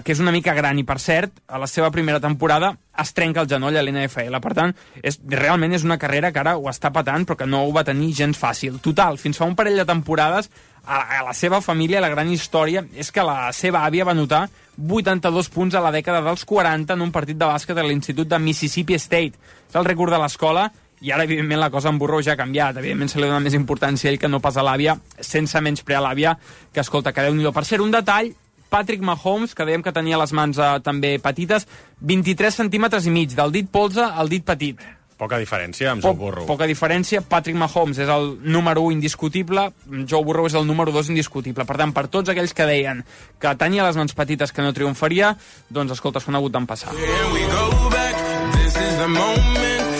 que és una mica gran, i per cert, a la seva primera temporada es trenca el genoll a l'NFL, per tant, realment és una carrera que ara ho està patant però que no ho va tenir gens fàcil. Total, fins fa un parell de temporades a la seva família la gran història és que la seva àvia va anotar 82 punts a la dècada dels 40 en un partit de bàsquet a l'Institut de Mississippi State. És el rècord de l'escola. I ara, evidentment, la cosa amb Burrow ja ha canviat. Evidentment, se li dona més importància a ell que no pas a l'àvia, sense menysprear l'àvia, que, escolta, que Déu-n'hi-do. Per cert, un detall, Patrick Mahomes, que dèiem que tenia les mans també petites, 23 centímetres i mig, del dit polze al dit petit. Poca diferència amb Joe Burrow. Poca diferència. Patrick Mahomes és el número 1 indiscutible, Joe Burrow és el número 2 indiscutible. Per tant, per tots aquells que deien que tenia les mans petites que no triomfaria, doncs, escolta, s'ho han hagut d'empassar.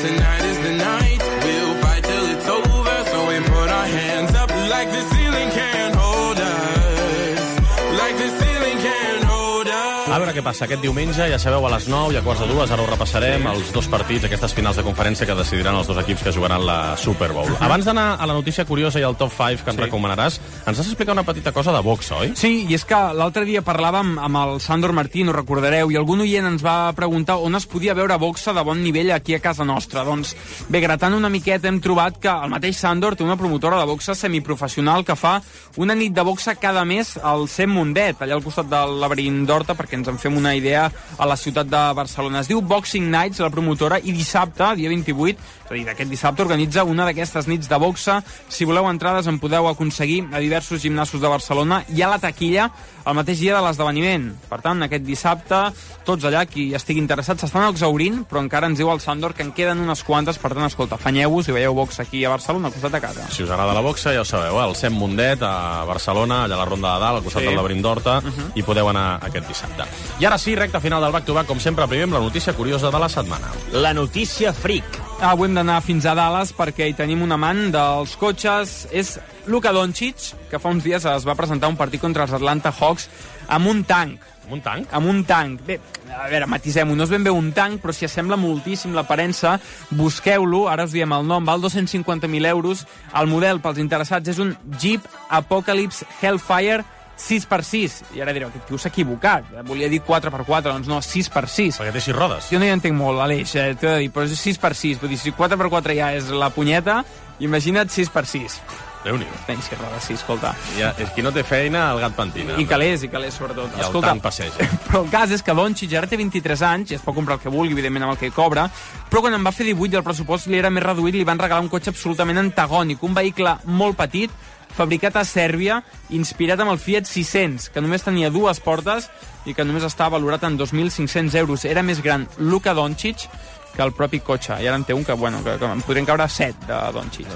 Tonight is the night, we'll fight till it's over, so we put our hands up like the ceiling can't hold us, like the ceiling can't hold us. A veure què què passa aquest diumenge, ja sabeu, a les 9 i a 1:45, ara ho repassarem, els dos partits, aquestes finals de conferència que decidiran els dos equips que jugaran la Super Bowl. Abans d'anar a la notícia curiosa i al top 5 que ens recomanaràs, ens has explicat una petita cosa de boxa, oi? Sí, i és que l'altre dia parlàvem amb el Sandor Martín, ho recordareu, i algun oient ens va preguntar on es podia veure boxa de bon nivell aquí a casa nostra. Doncs bé, gratant una miqueta hem trobat que el mateix Sandor té una promotora de boxa semiprofessional que fa una nit de boxa cada mes al CEM Mundet, allà al costat del Laberint d'Horta, perquè ens en fem una idea, a la ciutat de Barcelona. Es diu Boxing Nights, la promotora, i dissabte, dia 28, és a dir, d'aquest dissabte, organitza una d'aquestes nits de boxa. Si voleu entrades en podeu aconseguir a diversos gimnasos de Barcelona i a la taquilla el mateix dia de l'esdeveniment. Per tant, aquest dissabte, tots allà, qui estigui interessat, s'estan exhaurint, però encara ens diu el Sandor que en queden unes quantes. Per tant, escolta, afanyeu-vos i veieu boxa aquí a Barcelona, al costat de casa. Si us agrada la boxa, ja ho sabeu, el CEM Mundet, a Barcelona, allà a la Ronda de Dalt, al costat del Laberint d'Horta, i podeu anar aquest dissabte. I ara sí, recta final del back-to-back, com sempre, primer amb la notícia curiosa de la setmana. La notícia freak. Avui hem d'anar fins a Dallas perquè hi tenim un amant dels cotxes. És Luka Doncic, que fa uns dies es va presentar un partit contra els Atlanta Hawks amb un tanc. Amb un tanc? Amb un tanc. Bé, a veure, matisem-ho, no és ben bé un tanc, però si assembla moltíssim l'aparença, busqueu-lo, ara us diem el nom, val 250.000 euros. El model, pels interessats, és un Jeep Apocalypse Hellfire 6x6. I ara direu, aquest tio s'ha equivocat. Volia dir 4x4, doncs no, 6x6. Perquè té 6 rodes. Jo no hi entenc molt, Aleix, t'he de dir, però és 6x6. Vull dir, si 4x4 ja és la punyeta, imagina't 6x6. Déu-n'hi-do. Tens que rodes, sí, escolta. Ja, és qui no té feina, el gat pentina. I calés, sobretot. I el tanc passeja. Però el cas és que Doncic ara té 23 anys, i es pot comprar el que vulgui, evidentment, amb el que cobra, però quan en va fer 18 i el pressupost li era més reduït, li van regalar un cotxe absolutament antagònic, un vehicle molt petit, fabricat a Sèrbia, inspirat amb el Fiat 600, que només tenia 2 portes i que només estava valorat en 2.500 euros. Era més gran Luka Doncic que el propi cotxe. I ara en té un que em podrien caure 7 de Doncic.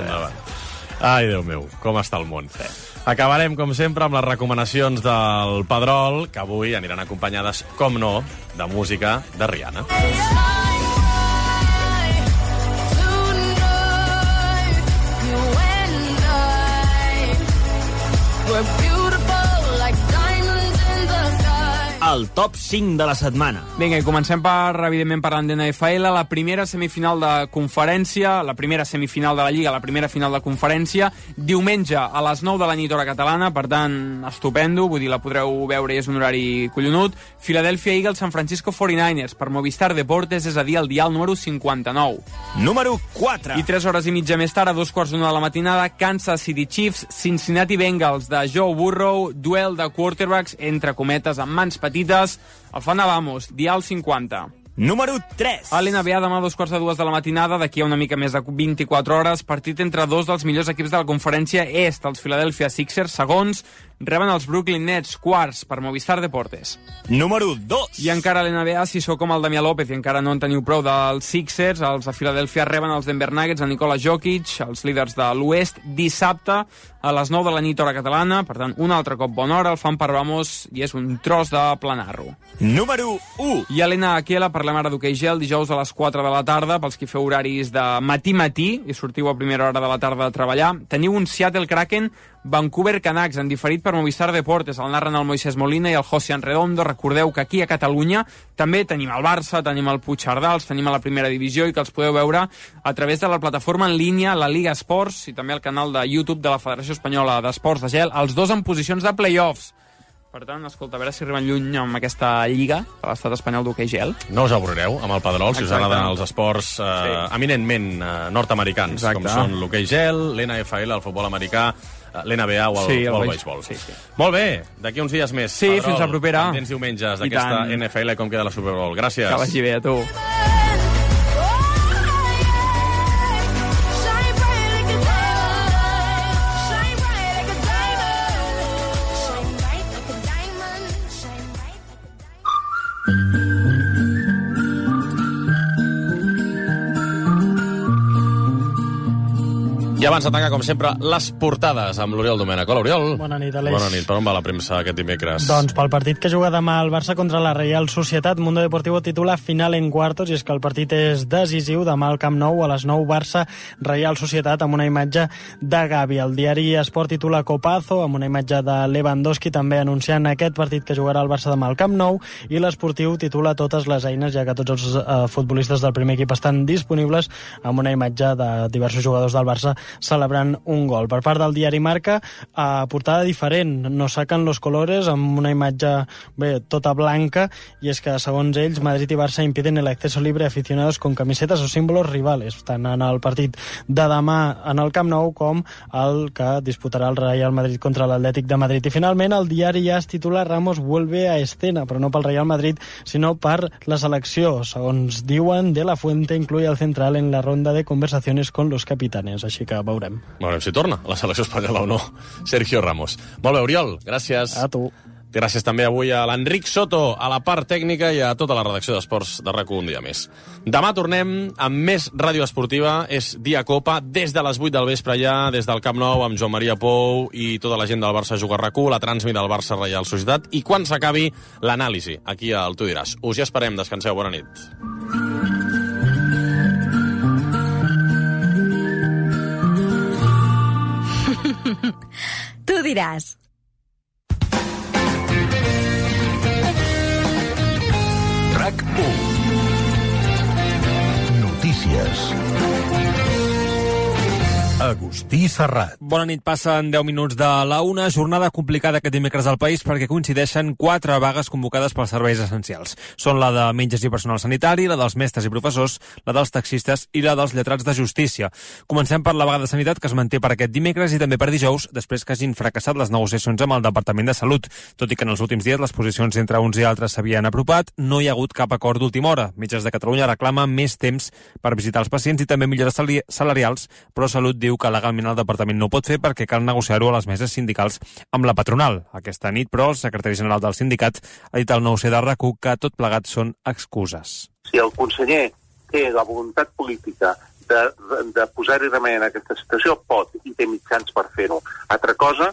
Ai, Déu meu, com està el món. Acabarem, com sempre, amb les recomanacions del Pedrol, que avui aniran acompanyades, com no, de música de Rihanna. El top 5 de la setmana. Vinga, i comencem evidentment parlant de NFL. La primera semifinal de conferència, la primera semifinal de la Lliga, la primera final de conferència, diumenge a les 9 de la nit hora catalana, per tant, estupendo, vull dir, la podreu veure i és un horari collonut. Philadelphia Eagles, San Francisco 49ers, per Movistar Deportes, és a dir, el dial número 59. Número 4. I 3 hores i mitja més tard, a 2:15 de la matinada, Kansas City Chiefs, Cincinnati Bengals, de Joe Burrow, duel de quarterbacks, entre cometes, amb mans petites, el Fana Vamos, dial 50. Número 3. A l'NBA demà a 2:45 de la matinada, d'aquí a una mica més de 24 hores, partit entre dos dels millors equips de la conferència est, els Philadelphia Sixers, segons, reben els Brooklyn Nets, quarts, per Movistar Deportes. Número 2. I encara a l'NBA, si sou com el Damià López i encara no en teniu prou dels Sixers, els de Philadelphia reben els Denver Nuggets, de Nikola Jokic, els líders de l'Oest, dissabte a les 9 de la nit hora catalana, per tant, un altre cop bona hora, el fan per Vamos i és un tros de planar-ho. Número 1. I a l'NHL parlem ara d'hoquei gel, dijous a les 4 de la tarda, pels qui feu horaris de matí-matí i sortiu a primera hora de la tarda a treballar. Teniu un Seattle Kraken Vancouver Canucks, en diferit per Movistar Deportes, el narren el Moisés Molina i el Josian Redondo. Recordeu que aquí a Catalunya també tenim el Barça, tenim el Puigcerdà, els tenim a la primera divisió i que els podeu veure a través de la plataforma en línia, la Liga Esports, i també el canal de YouTube de la Federació Espanyola d'Esports de Gel, els dos en posicions de play-offs. Per tant, escolta, a veure si arriben lluny amb aquesta lliga de l'estat espanyol d'hoquei gel. No us avorrireu amb el Pedrol, si us agraden els esports eminentment nord-americans, com són l'hoquei gel, l'NFL, el futbol americà, l'NBA o el béisbol. Sí. Molt bé, d'aquí uns dies més. Sí, Pedrol, fins la propera. Pendents diumenges d'aquesta NFL i com queda la Super Bowl. Gràcies. Que vagi bé, a tu. I abans de tancar, com sempre, les portades amb l'Oriol Domènech. Hola, Oriol. Bona nit, Aleix. Bona nit. Per on va la premsa aquest dimecres? Doncs pel partit que juga demà el Barça contra la Real Societat, Mundo Deportivo titula Final en cuartos, i és que el partit és decisiu. Demà al Camp Nou, a les 9, Barça, Real Societat, amb una imatge de Gavi. El diari Esport titula Copazo, amb una imatge de Lewandowski, també anunciant aquest partit que jugarà el Barça demà al Camp Nou, i l'Esportiu titula Totes les eines, ja que tots els futbolistes del primer equip estan disponibles, amb una imatge de diversos jugadors del Barça celebrant un gol. Per part del diari Marca, portada diferent, no saquen los colores, amb una imatge tota blanca, i és que, segons ells, Madrid i Barça impiden el acceso libre a aficionados con camisetas o símbolos rivales, tant en el partit de demà en el Camp Nou com el que disputarà el Real Madrid contra l'Atlètic de Madrid. I finalment el diari ja es titula Ramos vuelve a escena, però no pel Real Madrid, sinó per la selecció. Segons diuen, De La Fuente incluye al central en la ronda de conversaciones con los capitanes, així que veurem. Veurem si torna a la selecció espanyola o no, Sergio Ramos. Molt bé, Oriol, gràcies. A tu. Gràcies també avui a l'Enric Soto, a la part tècnica, i a tota la redacció d'Esports de RAC1 un dia més. Demà tornem amb més ràdio esportiva, és dia Copa, des de les 8 del vespre ja, des del Camp Nou, amb Joan Maria Pou i tota la gent del Barça Juga RAC1, la transmit del Barça Real Societat, i quan s'acabi l'anàlisi, aquí al Tu diràs. Us hi esperem, descanseu, bona nit. Tu diràs. RAC1. Notícies. Agustí Serrat. Bona nit, passen 10 minuts de la 1. Jornada complicada aquest dimecres al país perquè coincideixen 4 vagues convocades pels serveis essencials. Són la de metges i personal sanitari, la dels mestres i professors, la dels taxistes i la dels lletrats de justícia. Comencem per la vaga de sanitat, que es manté per aquest dimecres i també per dijous, després que hagin fracassat les negociacions amb el Departament de Salut. Tot i que en els últims dies les posicions entre uns i altres s'havien apropat, no hi ha hagut cap acord d'última hora. Metges de Catalunya reclama més temps per visitar els pacients i també millores salarials, però Salut diu que legalment el departament no ho pot fer perquè cal negociar-ho a les meses sindicals amb la patronal. Aquesta nit, però, el secretari general del sindicat ha dit al 9C de RAC1 que tot plegat són excuses. Si el conseller té la voluntat política de posar-hi remei en aquesta situació, pot i té mitjans per fer-ho. Altra cosa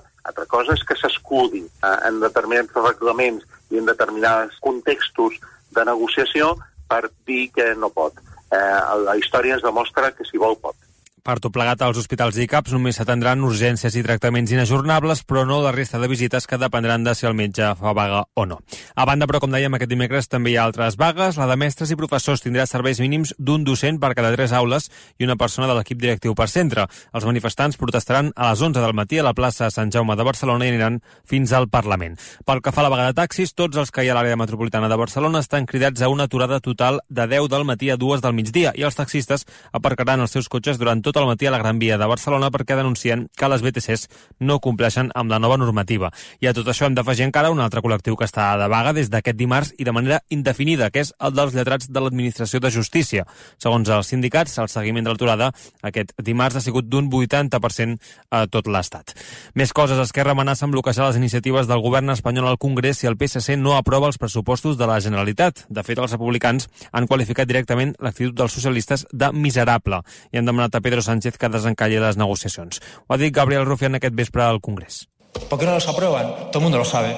és que s'escudi en determinats reglaments i en determinats contextos de negociació per dir que no pot. La història ens demostra que si vol pot. Per tot plegat, als hospitals i CAPs només s'atendran urgències i tractaments inajornables, però no la resta de visites, que dependran de si el metge fa vaga o no. A banda, però, com dèiem, aquest dimecres també hi ha altres vagues. La de mestres i professors tindrà serveis mínims d'un docent per cada 3 aules i una persona de l'equip directiu per centre. Els manifestants protestaran a les 11 del matí a la plaça Sant Jaume de Barcelona i aniran fins al Parlament. Pel que fa a la vaga de taxis, tots els que hi ha a l'àrea metropolitana de Barcelona estan cridats a una aturada total de 10 del matí a 2 del migdia, i els taxistes aparcaran els seus cotxes durant tot el matí a la Gran Via de Barcelona perquè denuncien que les BTCs no compleixen amb la nova normativa. I a tot això hem d'afegir encara un altre col·lectiu que està de vaga des d'aquest dimarts i de manera indefinida, que és el dels lletrats de l'Administració de Justícia. Segons els sindicats, el seguiment de l'aturada aquest dimarts ha sigut d'un 80% a tot l'Estat. Més coses. Esquerra amenaça amb bloquejar les iniciatives del govern espanyol al Congrés si el PSC no aprova els pressupostos de la Generalitat. De fet, els republicans han qualificat directament l'actitud dels socialistes de miserable i han demanat a Pedro Sánchez que desencalli les negociacions. Ho ha dit Gabriel Rufián aquest vespre al Congrés. ¿Por qué no los aprueban? Todo el mundo lo sabe.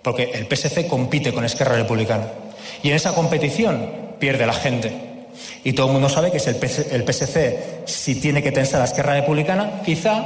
Porque el PSC compite con Esquerra Republicana. Y en esa competición pierde la gente. Y todo el mundo sabe que si el PSC, si tiene que tensar a Esquerra Republicana, quizá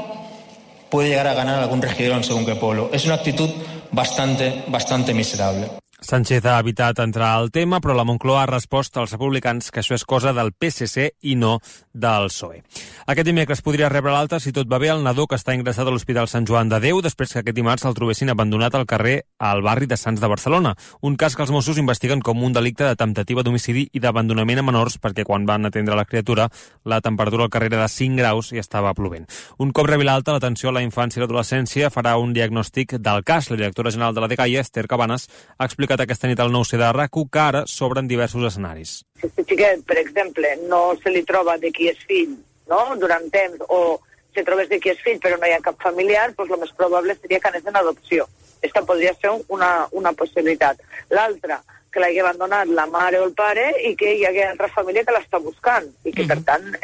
puede llegar a ganar algún regidor en según qué pueblo. Es una actitud bastante miserable. Sánchez ha evitat entrar al tema, però la Moncloa ha respost als republicans que això és cosa del PSC i no del PSOE. Aquest dimecres podria rebre l'alta, si tot va bé, el nadó que està ingressat a l'Hospital Sant Joan de Déu després que aquest dimarts el trobessin abandonat al carrer al barri de Sants de Barcelona. Un cas que els Mossos investiguen com un delicte de temptativa d'homicidi i d'abandonament a menors, perquè quan van atendre la criatura la temperatura al carrer era de 5 graus i estava plovent. Un cop rebi l'alta, l'atenció a la infància i l'adolescència farà un diagnòstic del cas. La directora general de la DGAI, Esther Cabanes, ha explicat aquesta nit al 9C de RAC1 que ara s'obren diversos escenaris. Si aquest xiquet, per exemple, no se li troba de qui és fill, no?, durant temps, o se trobés de qui és fill però no hi ha cap familiar, doncs el més probable seria que anés en adopció. Aquesta podria ser una possibilitat. L'altra, que l'hagi abandonat la mare o el pare i que hi hagi altra família que l'està buscant i que, per tant,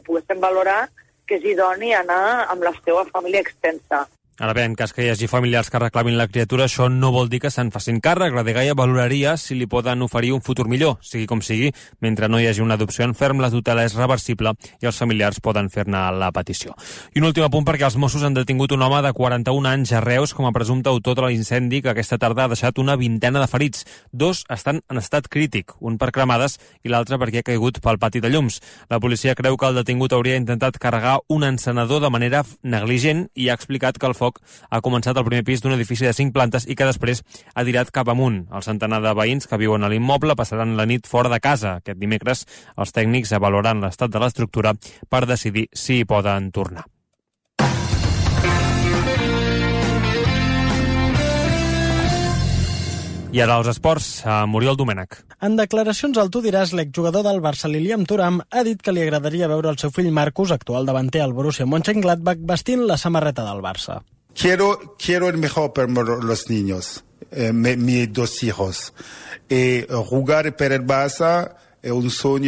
poguéssim valorar que és idoni anar amb la seva família extensa. Ara bé, en cas que hi hagi familiars que reclamin la criatura, això no vol dir que se'n facin càrrec. La dgaia valoraria si li poden oferir un futur millor, sigui com sigui. Mentre no hi hagi una adopció en ferm, la tutela és reversible i els familiars poden fer-ne la petició. I un últim apunt perquè els Mossos han detingut un home de 41 anys a Reus com a presumpte autor de l'incendi que aquesta tarda ha deixat una vintena de ferits. 2 estan en estat crític, un per cremades i l'altre perquè ha caigut pel pati de llums. La policia creu que el detingut hauria intentat carregar un encenedor de manera negligent i ha explicat que el foc ha començat al primer pis d'un edifici de 5 plantes i que després ha tirat cap amunt. El centenar de veïns que viuen a l'immoble passaran la nit fora de casa. Aquest dimecres els tècnics avaloraran l'estat de l'estructura per decidir si hi poden tornar. I ara als esports, Muriel Domènech. En declaracions al Tu diràs, l'exjugador del Barça, Lilian Thuram, ha dit que li agradaria veure el seu fill Marcus, actual davanter al Borussia Mönchengladbach, vestint la samarreta del Barça. Quiero el mejor para los niños, mis 2 hijos. Jugar para el Barça es un sueño.